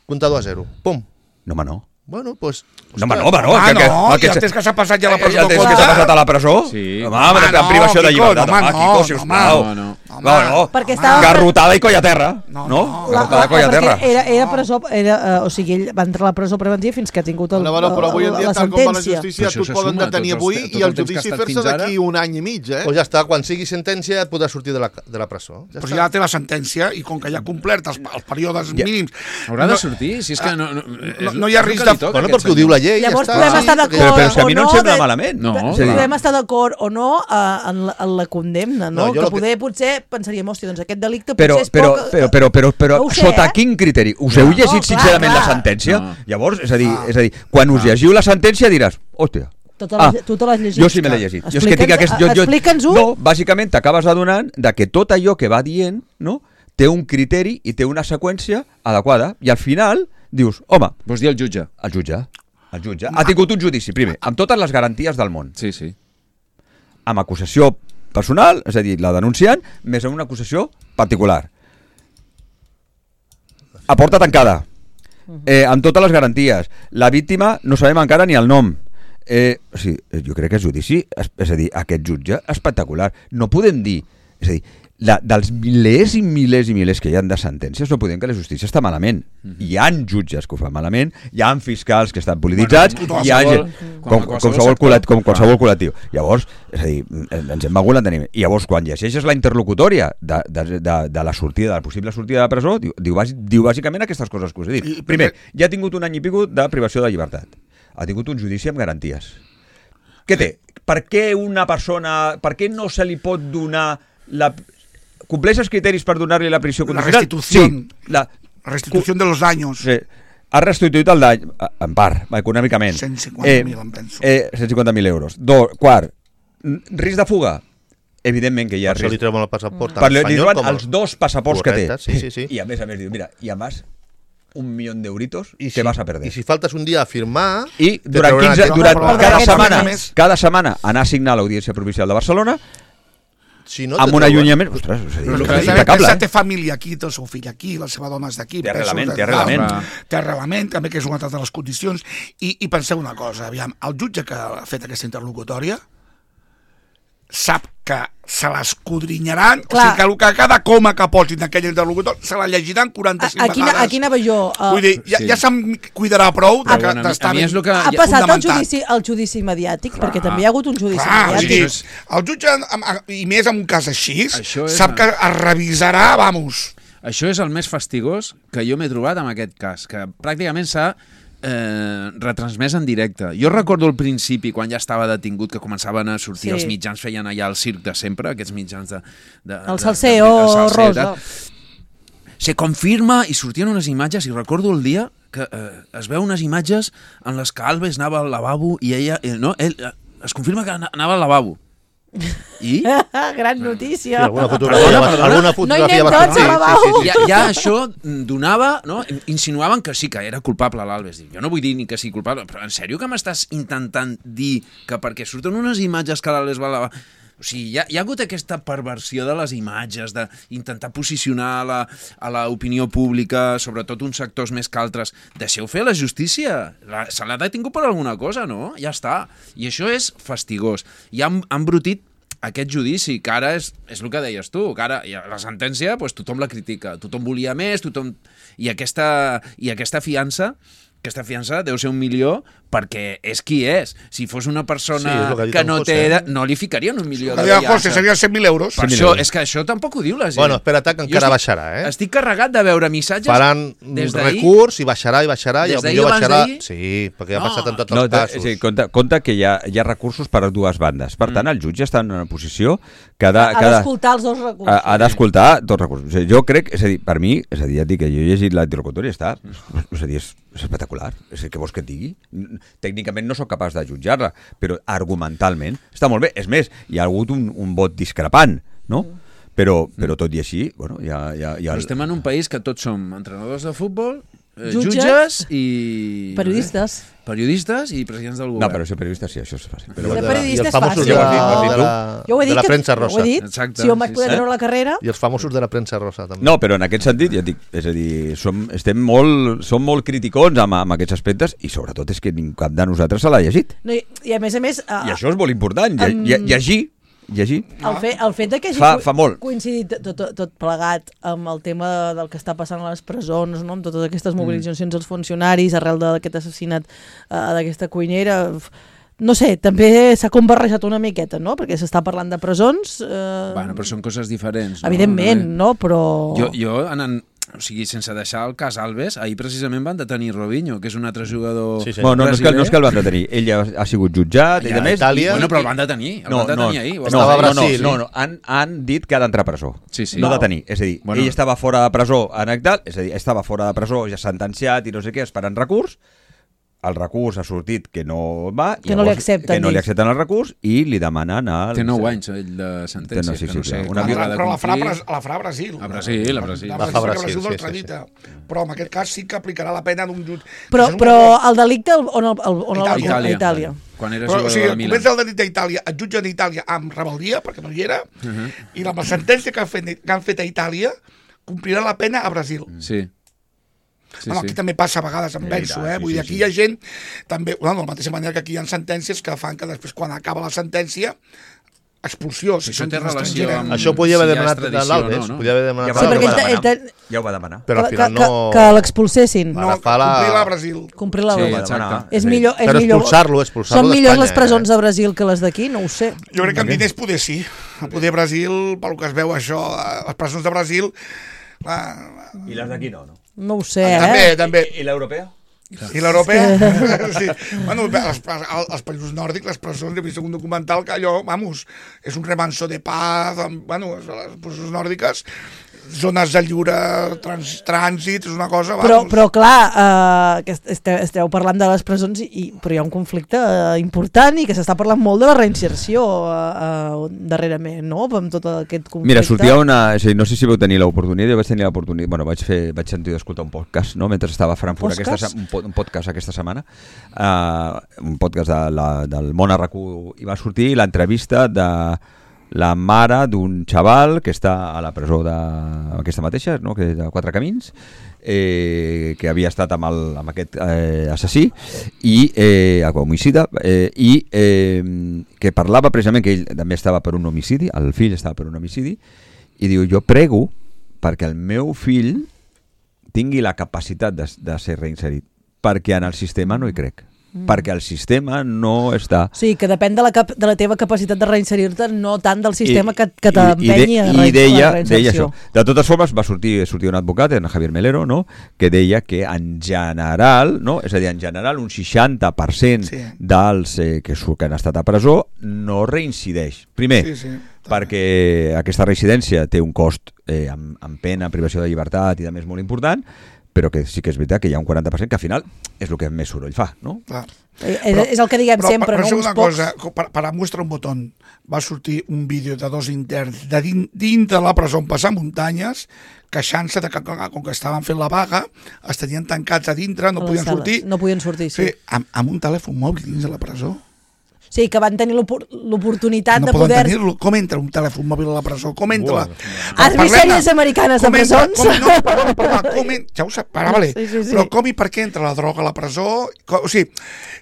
comptador a zero. Pum. No, home, no. Bueno, pues... No, home, no, home, no. Ah, que, que, no, que, ja tens que s'ha passat ja a la presó. Ja tens que s'ha passat a la presó? Sí. Home, home, en privació de llibertat. Home, Quico, sisplau. No, no. No, no. Perquè estava... Garrotada i colla a terra. No, no. Garrotada i colla a terra. Era, era presó, era, uh, o sigui, ell va entrar a la presó preventiva fins que ha tingut el, no, bueno, però avui en dia, la tal com va la sentència. justícia, tu et poden detenir avui i el judici fer-se d'aquí un any i mig, eh? Pues ja està, quan sigui sentència podrà sortir de la, de la presó. Ja però ja té la sentència i com que ja ha complert els, els períodes yeah. mínims... Haurà de sortir, si és que no... No, no, no hi ha risc de... Bueno, perquè ho diu la llei, Llavors ja podem estar d'acord però, però si a mi no o em no... sembla de... malament. No. Podem estar d'acord o no uh, en, la, en la condemna, no? No, que que... poder potser pensaríem, hòstia, doncs aquest delicte però, potser és però, poc... Però, però, però, però no sé, sota eh? quin criteri? Us heu No, llegit clar, sincerament clar. la sentència? No. Llavors, és a dir, és a dir quan us llegiu la sentència diràs, hòstia, Tota la, ah, tu te l'has llegit? jo sí me l'he llegit. Jo és que tinc aquest, jo, jo, Explica'ns-ho. no, bàsicament t'acabes adonant de que tot allò que va dient, no, té un criteri i té una seqüència adequada. I al final dius, home... Vols dir el jutge? El jutge. El jutge. Ha tingut un judici, primer, amb totes les garanties del món. Sí, sí. Amb acusació personal, és a dir, la denunciant, més una acusació particular. A porta tancada. Eh, amb totes les garanties. La víctima no sabem encara ni el nom. Eh, o sigui, jo crec que és judici, és, és a dir, aquest jutge espectacular. No podem dir, és a dir, la, dels milers i milers i milers que hi ha de sentències, no podem que la justícia està malament. Mm-hmm. Hi ha jutges que ho fan malament, hi ha fiscals que estan polititzats, bueno, hi ha gent, com, com, qualsevol col·lectiu, com qualsevol col·lectiu. Llavors, és a dir, ens hem begut l'enteniment. I llavors, quan llegeixes la interlocutòria de, de, de, de la sortida, de la possible sortida de la presó, diu, diu, diu bàsicament aquestes coses que us he dit. Primer, ja ha tingut un any i pico de privació de llibertat. Ha tingut un judici amb garanties. Què té? Per què una persona... Per què no se li pot donar... La... Compleix els criteris per donar-li la prisió condicional? La restitució. Sí. La restitució de los daños. Sí. Ha restituït el dany, en part, econòmicament. cent cinquanta mil, eh, em penso. Eh, cent cinquanta mil euros. Do, quart, risc de fuga? Evidentment que hi ha per risc. Per això li treuen el passaport per espanyol. Li treuen com els dos passaports correcte, que té. Sí, sí, sí. I a més a més diu, mira, i a més un milió d'euritos I que si, vas a perder. I si faltes un dia a firmar... I durant, quinze, durant no, cada, no, setmana, no, cada setmana anar a signar l'Audiència Provincial de Barcelona si no amb un allunyament... Ostres, és, però és, és impecable, eh? Té família aquí, té el seu fill aquí, la seva dona és d'aquí. Té arrelament, té arrelament. Té arrelament, també, que és una altra de les condicions. I, i penseu una cosa, aviam, el jutge que ha fet aquesta interlocutòria sap que se l'escudrinyaran, o sigui que, el que cada coma que posin d'aquell interlocutor se la llegiran quaranta-cinc Aquí, vegades. aquí anava jo. Uh, Vull dir, ja, sí. ja se'm cuidarà prou de, Bueno, d'estar a mi és el que... ha ja- passat el fundamentat. judici, el judici mediàtic, Clar. perquè també hi ha hagut un judici Clar, o sigui, mediàtic. el jutge, am- am- i més en un cas així, Això és sap una- que es revisarà, vamos. Això és el més fastigós que jo m'he trobat en aquest cas, que pràcticament s'ha eh, retransmès en directe. Jo recordo al principi, quan ja estava detingut, que començaven a sortir Sí. els mitjans, feien allà el circ de sempre, aquests mitjans de... de El de- salseo de- el salseo, rosa. tal. Se confirma i sortien unes imatges, i recordo el dia que eh, es veu unes imatges en les que Alves anava al lavabo i ella... Eh, no, ell, eh, es confirma que ana- anava al lavabo. I... Gran notícia. Sí, alguna fotografia, Perdona, va- perdona. alguna No hi fotografia anem va tots sortir. al lavabo. Ja, ja això donava, no? Insinuaven que sí, que era culpable l'Alves. Dic, jo no vull dir ni que sigui culpable, però en sèrio que m'estàs intentant dir que perquè surten unes imatges que l'Alves va lavar... O sigui, hi ha, hi ha hagut aquesta perversió de les imatges, d'intentar posicionar a la, a l'opinió pública, sobretot uns sectors més que altres. Deixeu fer la justícia. La, se l'ha detingut per alguna cosa, no? Ja està. I això és fastigós. I han, han brutit aquest judici, que ara és, és el que deies tu, que ara la sentència doncs, tothom la critica, tothom volia més, tothom... I aquesta, i aquesta fiança, aquesta fiança deu ser un milió perquè és qui és. Si fos una persona Sí, és el que ha dit que en no José. té... No li ficarien un milió de La José fiança. serien cent mil euros. Per això, és que això tampoc ho diu la gent. Bueno, espera't, que Jo encara estic- baixarà, eh? Estic carregat de veure missatges Faran des d'ahir. recurs i baixarà i baixarà i Des d'ahir potser abans baixarà... d'ahir? Sí, perquè ja ha No. passat en tots No, els de, casos. sí, compte, compte que hi ha, hi ha recursos per a dues bandes. Per tant, el jutge està en una posició que ha de- Ha que ha de- d'escoltar els dos recursos. ha, ha d'escoltar tots els recursos. O sigui, jo crec, és a dir, per mi, és a dir, ja et dic que jo he llegit l'interlocutori i està, és a dir, és, és espectacular. És a dir, què vols que et digui? Tècnicament no sóc capaç de jutjar-la, però argumentalment està molt bé. És més, hi ha hagut un, un vot discrepant, no? Però, però tot i així, bueno, hi ha... Hi ha, hi ha Però estem en un país que tots som entrenadors de futbol, eh, Jutges. jutges i... Periodistes. No sé, periodistes i presidents del govern. No, però ser periodista sí, això és fàcil. Però, Ser de- periodista i els és famosos fàcil. de, Ja ho has dit, ho has dit de, tu. la, Jo ho he dit de la que- premsa ho he rosa. dit. Exacte, Si jo em vaig sí, poder sí. treure la carrera... I els famosos de la premsa rosa, també. No, però en aquest sentit, ja et dic, és a dir, som, estem molt, som molt criticons amb, amb aquests aspectes i sobretot és que ningú cap de nosaltres se l'ha llegit. No, i, I a més a més... Uh, I això és molt important, lle, Em- lle, llegir, llegir. El, fe, el fet de que hagi Fa- co- fa molt. coincidit tot, tot, tot plegat amb el tema del que està passant a les presons, no? Amb totes aquestes mobilitzacions dels funcionaris arrel d'aquest assassinat uh, d'aquesta cuinera... No sé, també s'ha com barrejat una miqueta, no? Perquè s'està parlant de presons... Eh... Bueno, però són coses diferents. No? Evidentment, no? Però... Jo, jo anant, o sigui, sense deixar el cas Alves, ahir precisament van detenir Robinho, que és un altre jugador Sí, sí. Bueno, no, no, és que, no és que brasiler. el van detenir. Ell ja ha sigut jutjat, ell Ja, a més... Itàlia. Bueno, però el van detenir, el No, van no, detenir ahir. ho no, Estava a van no, Brasil. no, no, han, han dit que ha d'entrar a presó. Sí, sí. No Wow. detenir. És a dir, Bueno. ell estava fora de presó en tal, és a dir, estava fora de presó, ja sentenciat i no sé què, esperant recurs. El recurs ha sortit que no va. Que no li accepten, Que no li dius. accepten el recurs i li demanen... El, Té nou anys, ell, de sentència, Té nou, sí, que sí, no sé clar. quan Una haurà de Però la farà, complir. Bras- la farà a Brasil. A Brasil, a Brasil. La La farà fa a Brasil, Brasil, sí, del sí, tradita. Però en aquest cas sí que aplicarà la pena d'un jutge. Però, Això és un però error. el delicte el- on el, el, on el, Itàlia. a Itàlia. Itàlia. Quan era Però, o jugador sigui, de Milan. comença el delit a Itàlia, et jutgen a Itàlia amb rebel·lia, perquè no hi era, i la sentència que han fet, que han fet a Itàlia complirà la pena a Brasil. Sí. Sí, Bueno, sí. aquí també passa a vegades, em Sí, penso, sí, eh? sí, Vull dir, sí, aquí sí. hi ha gent, també, bueno, de la mateixa manera que aquí hi ha sentències que fan que després, quan acaba la sentència, expulsió. Si Si això són té relació estrangera. amb... Això podia haver si hi ha demanat extradició l'Alves, o no, no? podia haver demanat Ja Sí, va, perquè ja, ho va ell demanar. te- ja ho va demanar. però al que, final que, no... que l'expulsessin. No, Ara fa la- complir-la a Brasil. Complir la Sí, sí, exacte. És millor, és Però millor... expulsar-lo, expulsar-lo Són millors d'Espanya, les presons eh? de Brasil que les d'aquí? No ho sé. Jo crec que amb diners poder sí. A poder Brasil, pel que es veu això, a les presons de Brasil... Ah, I les d'aquí no, no? No ho sé, també, eh? també. I l'europea? I l'europea? Sí. Bueno, els, els països nòrdics, les presons, he vist un documental que allò, vamos, és un remanso de paz, amb, bueno, les presons nòrdiques, zones de lliure trans, trànsit, és una cosa, vamos. Però, però clar, eh, que esteu, esteu parlant de les presons, i, però hi ha un conflicte eh, important i que s'està parlant molt de la reinserció eh, eh, darrerament, no? Amb tot aquest conflicte. Mira, sortia una... És a dir, no sé si vau tenir l'oportunitat, jo vaig tenir l'oportunitat... Bueno, vaig, fer, vaig sentir d'escoltar un podcast, no?, mentre estava a Frankfurt, aquesta, Podcast? se- un, po- un podcast aquesta setmana, uh, un podcast de la, del Món a RAC u, i va sortir l'entrevista de la mare d'un xaval que està a la presó de aquesta mateixa, no? Que de Quatre Camins, eh, que havia estat amb, el, amb aquest eh, assassí i eh, homicida eh, i eh, que parlava precisament que ell també estava per un homicidi, el fill estava per un homicidi, i diu, jo prego perquè el meu fill tingui la capacitat de, de ser reinserit, perquè en el sistema no hi crec. Mm. Perquè el sistema no està... Sí, que depèn de la, cap, de la teva capacitat de reinserir-te, no tant del sistema I, que, que i, t'empenyi a de, i deia, la reinserció. deia això. De totes formes, va sortir, sortir un advocat, en Javier Melero, no? Que deia que en general, no? És a dir, en general un seixanta per cent sí. dels eh, que, que han estat a presó no reincideix. Primer, sí, sí. perquè aquesta reincidència té un cost eh, amb, amb pena, privació de llibertat i de més molt important, però que sí que és veritat que hi ha un quaranta per cent que al final és el que més soroll fa, no? Clar. Però, és el que diguem però, sempre, però, no? Però Uns una pocs... cosa, per, per mostrar un botó, va sortir un vídeo de dos interns de din, dintre de la presó on passar muntanyes, queixant-se de que com que estaven fent la vaga, es tenien tancats a dintre, no podien sortir. No podien sortir, sí. sí amb, amb un telèfon mòbil dins de la presó. Sí, que van tenir l'oportunitat no de poder... tenir-lo. Com entra un telèfon mòbil a la presó? Com entra? Has vist sèries americanes de presons? Com, no, perdona, perdona, com en... ja ho sap, para, vale. Sí, sí, sí. Però com i per què entra la droga a la presó? O sigui,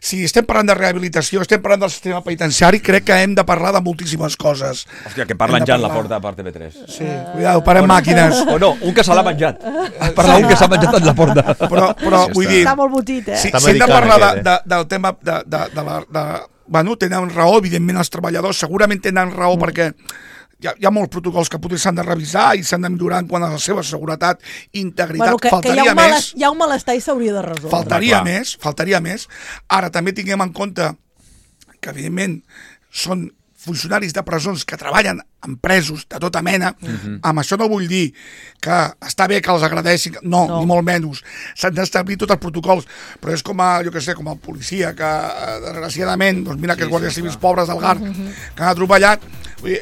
si estem parlant de rehabilitació, estem parlant del sistema penitenciari, crec que hem de parlar de moltíssimes coses. Hòstia, que parlen ja en la porta per T V tres. Sí, cuidado, parem màquines. O no, un que se l'ha menjat. Parla un que s'ha menjat en la porta. Però, però vull dir... Està molt botit, eh? Si, si hem de parlar de, de, del tema de, de, de la... De, bueno, tenen raó, evidentment els treballadors segurament tenen raó mm. perquè hi ha, hi ha molts protocols que potser s'han de revisar i s'han de millorar en quant a la seva seguretat i integritat. Bueno, que, faltaria que hi ha més. Mal, hi ha un malestar i s'hauria de resoldre. Faltaria més, faltaria més. Ara, també tinguem en compte que, evidentment, són funcionaris de presons que treballen en presos de tota mena. Uh-huh. Amb això no vull dir que està bé que els agradeixin, no, no. ni molt menys. S'han d'establir tots els protocols, però és com a, jo què sé, com el policia que, desgraciadament, doncs mira sí, aquests guàrdies sí, civils pobres del G A R uh-huh. que han atropellat,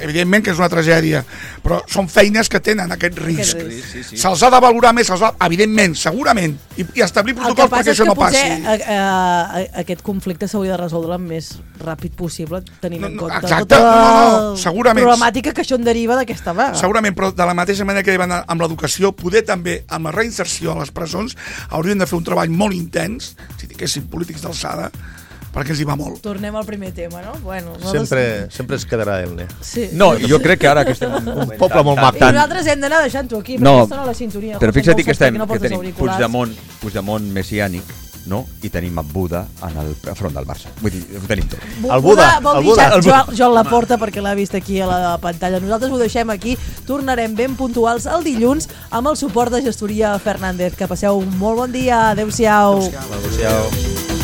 evidentment que és una tragèdia, però són feines que tenen aquest risc. Aquest risc. Sí, sí. Se'ls ha de valorar més, se'ls ha, evidentment, segurament, i, i establir protocols perquè això no passi. El que passa és que potser a, a, aquest conflicte s'hauria de resoldre el més ràpid possible, tenint no, en no, compte exacte, tota no, no, no, segurament. problemàtica que això en deriva d'aquesta vaga. Segurament, però de la mateixa manera que van amb l'educació, poder també amb la reinserció a les presons haurien de fer un treball molt intens, si tinguessin polítics d'alçada, perquè ens hi va molt. Tornem al primer tema, no? Bueno, no sempre, des... sempre es quedarà Elne. Sí. No, jo crec que ara que estem en un poble molt maco. I nosaltres hem d'anar deixant-ho aquí, perquè no, aquesta no la sintonia. Però fixa't que, estem, no que tenim Puigdemont, Puigdemont messiànic, no? I tenim en Buda en el front del Barça. Vull dir, ho tenim tot. El Buda, vol dir ja, Joan, Joan Laporta, perquè l'ha vist aquí a la pantalla. Nosaltres ho deixem aquí. Tornarem ben puntuals el dilluns amb el suport de Gestoria Fernández. Que passeu un molt bon dia. Adéu-siau. Adéu-siau. Adéu-siau.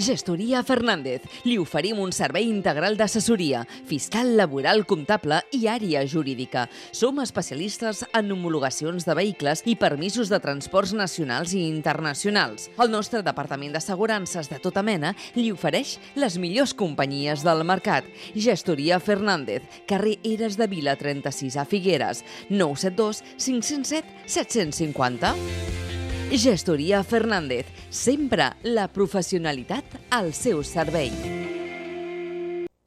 Gestoria Fernández. Li oferim un servei integral d'assessoria, fiscal, laboral, comptable i àrea jurídica. Som especialistes en homologacions de vehicles i permisos de transports nacionals i internacionals. El nostre departament d'assegurances de tota mena li ofereix les millors companyies del mercat. Gestoria Fernández, carrer Eres de Vila trenta-sis a Figueres, nou set dos cinc zero set set cinc zero. Gestoria Fernández, sempre la professionalitat al seu servei.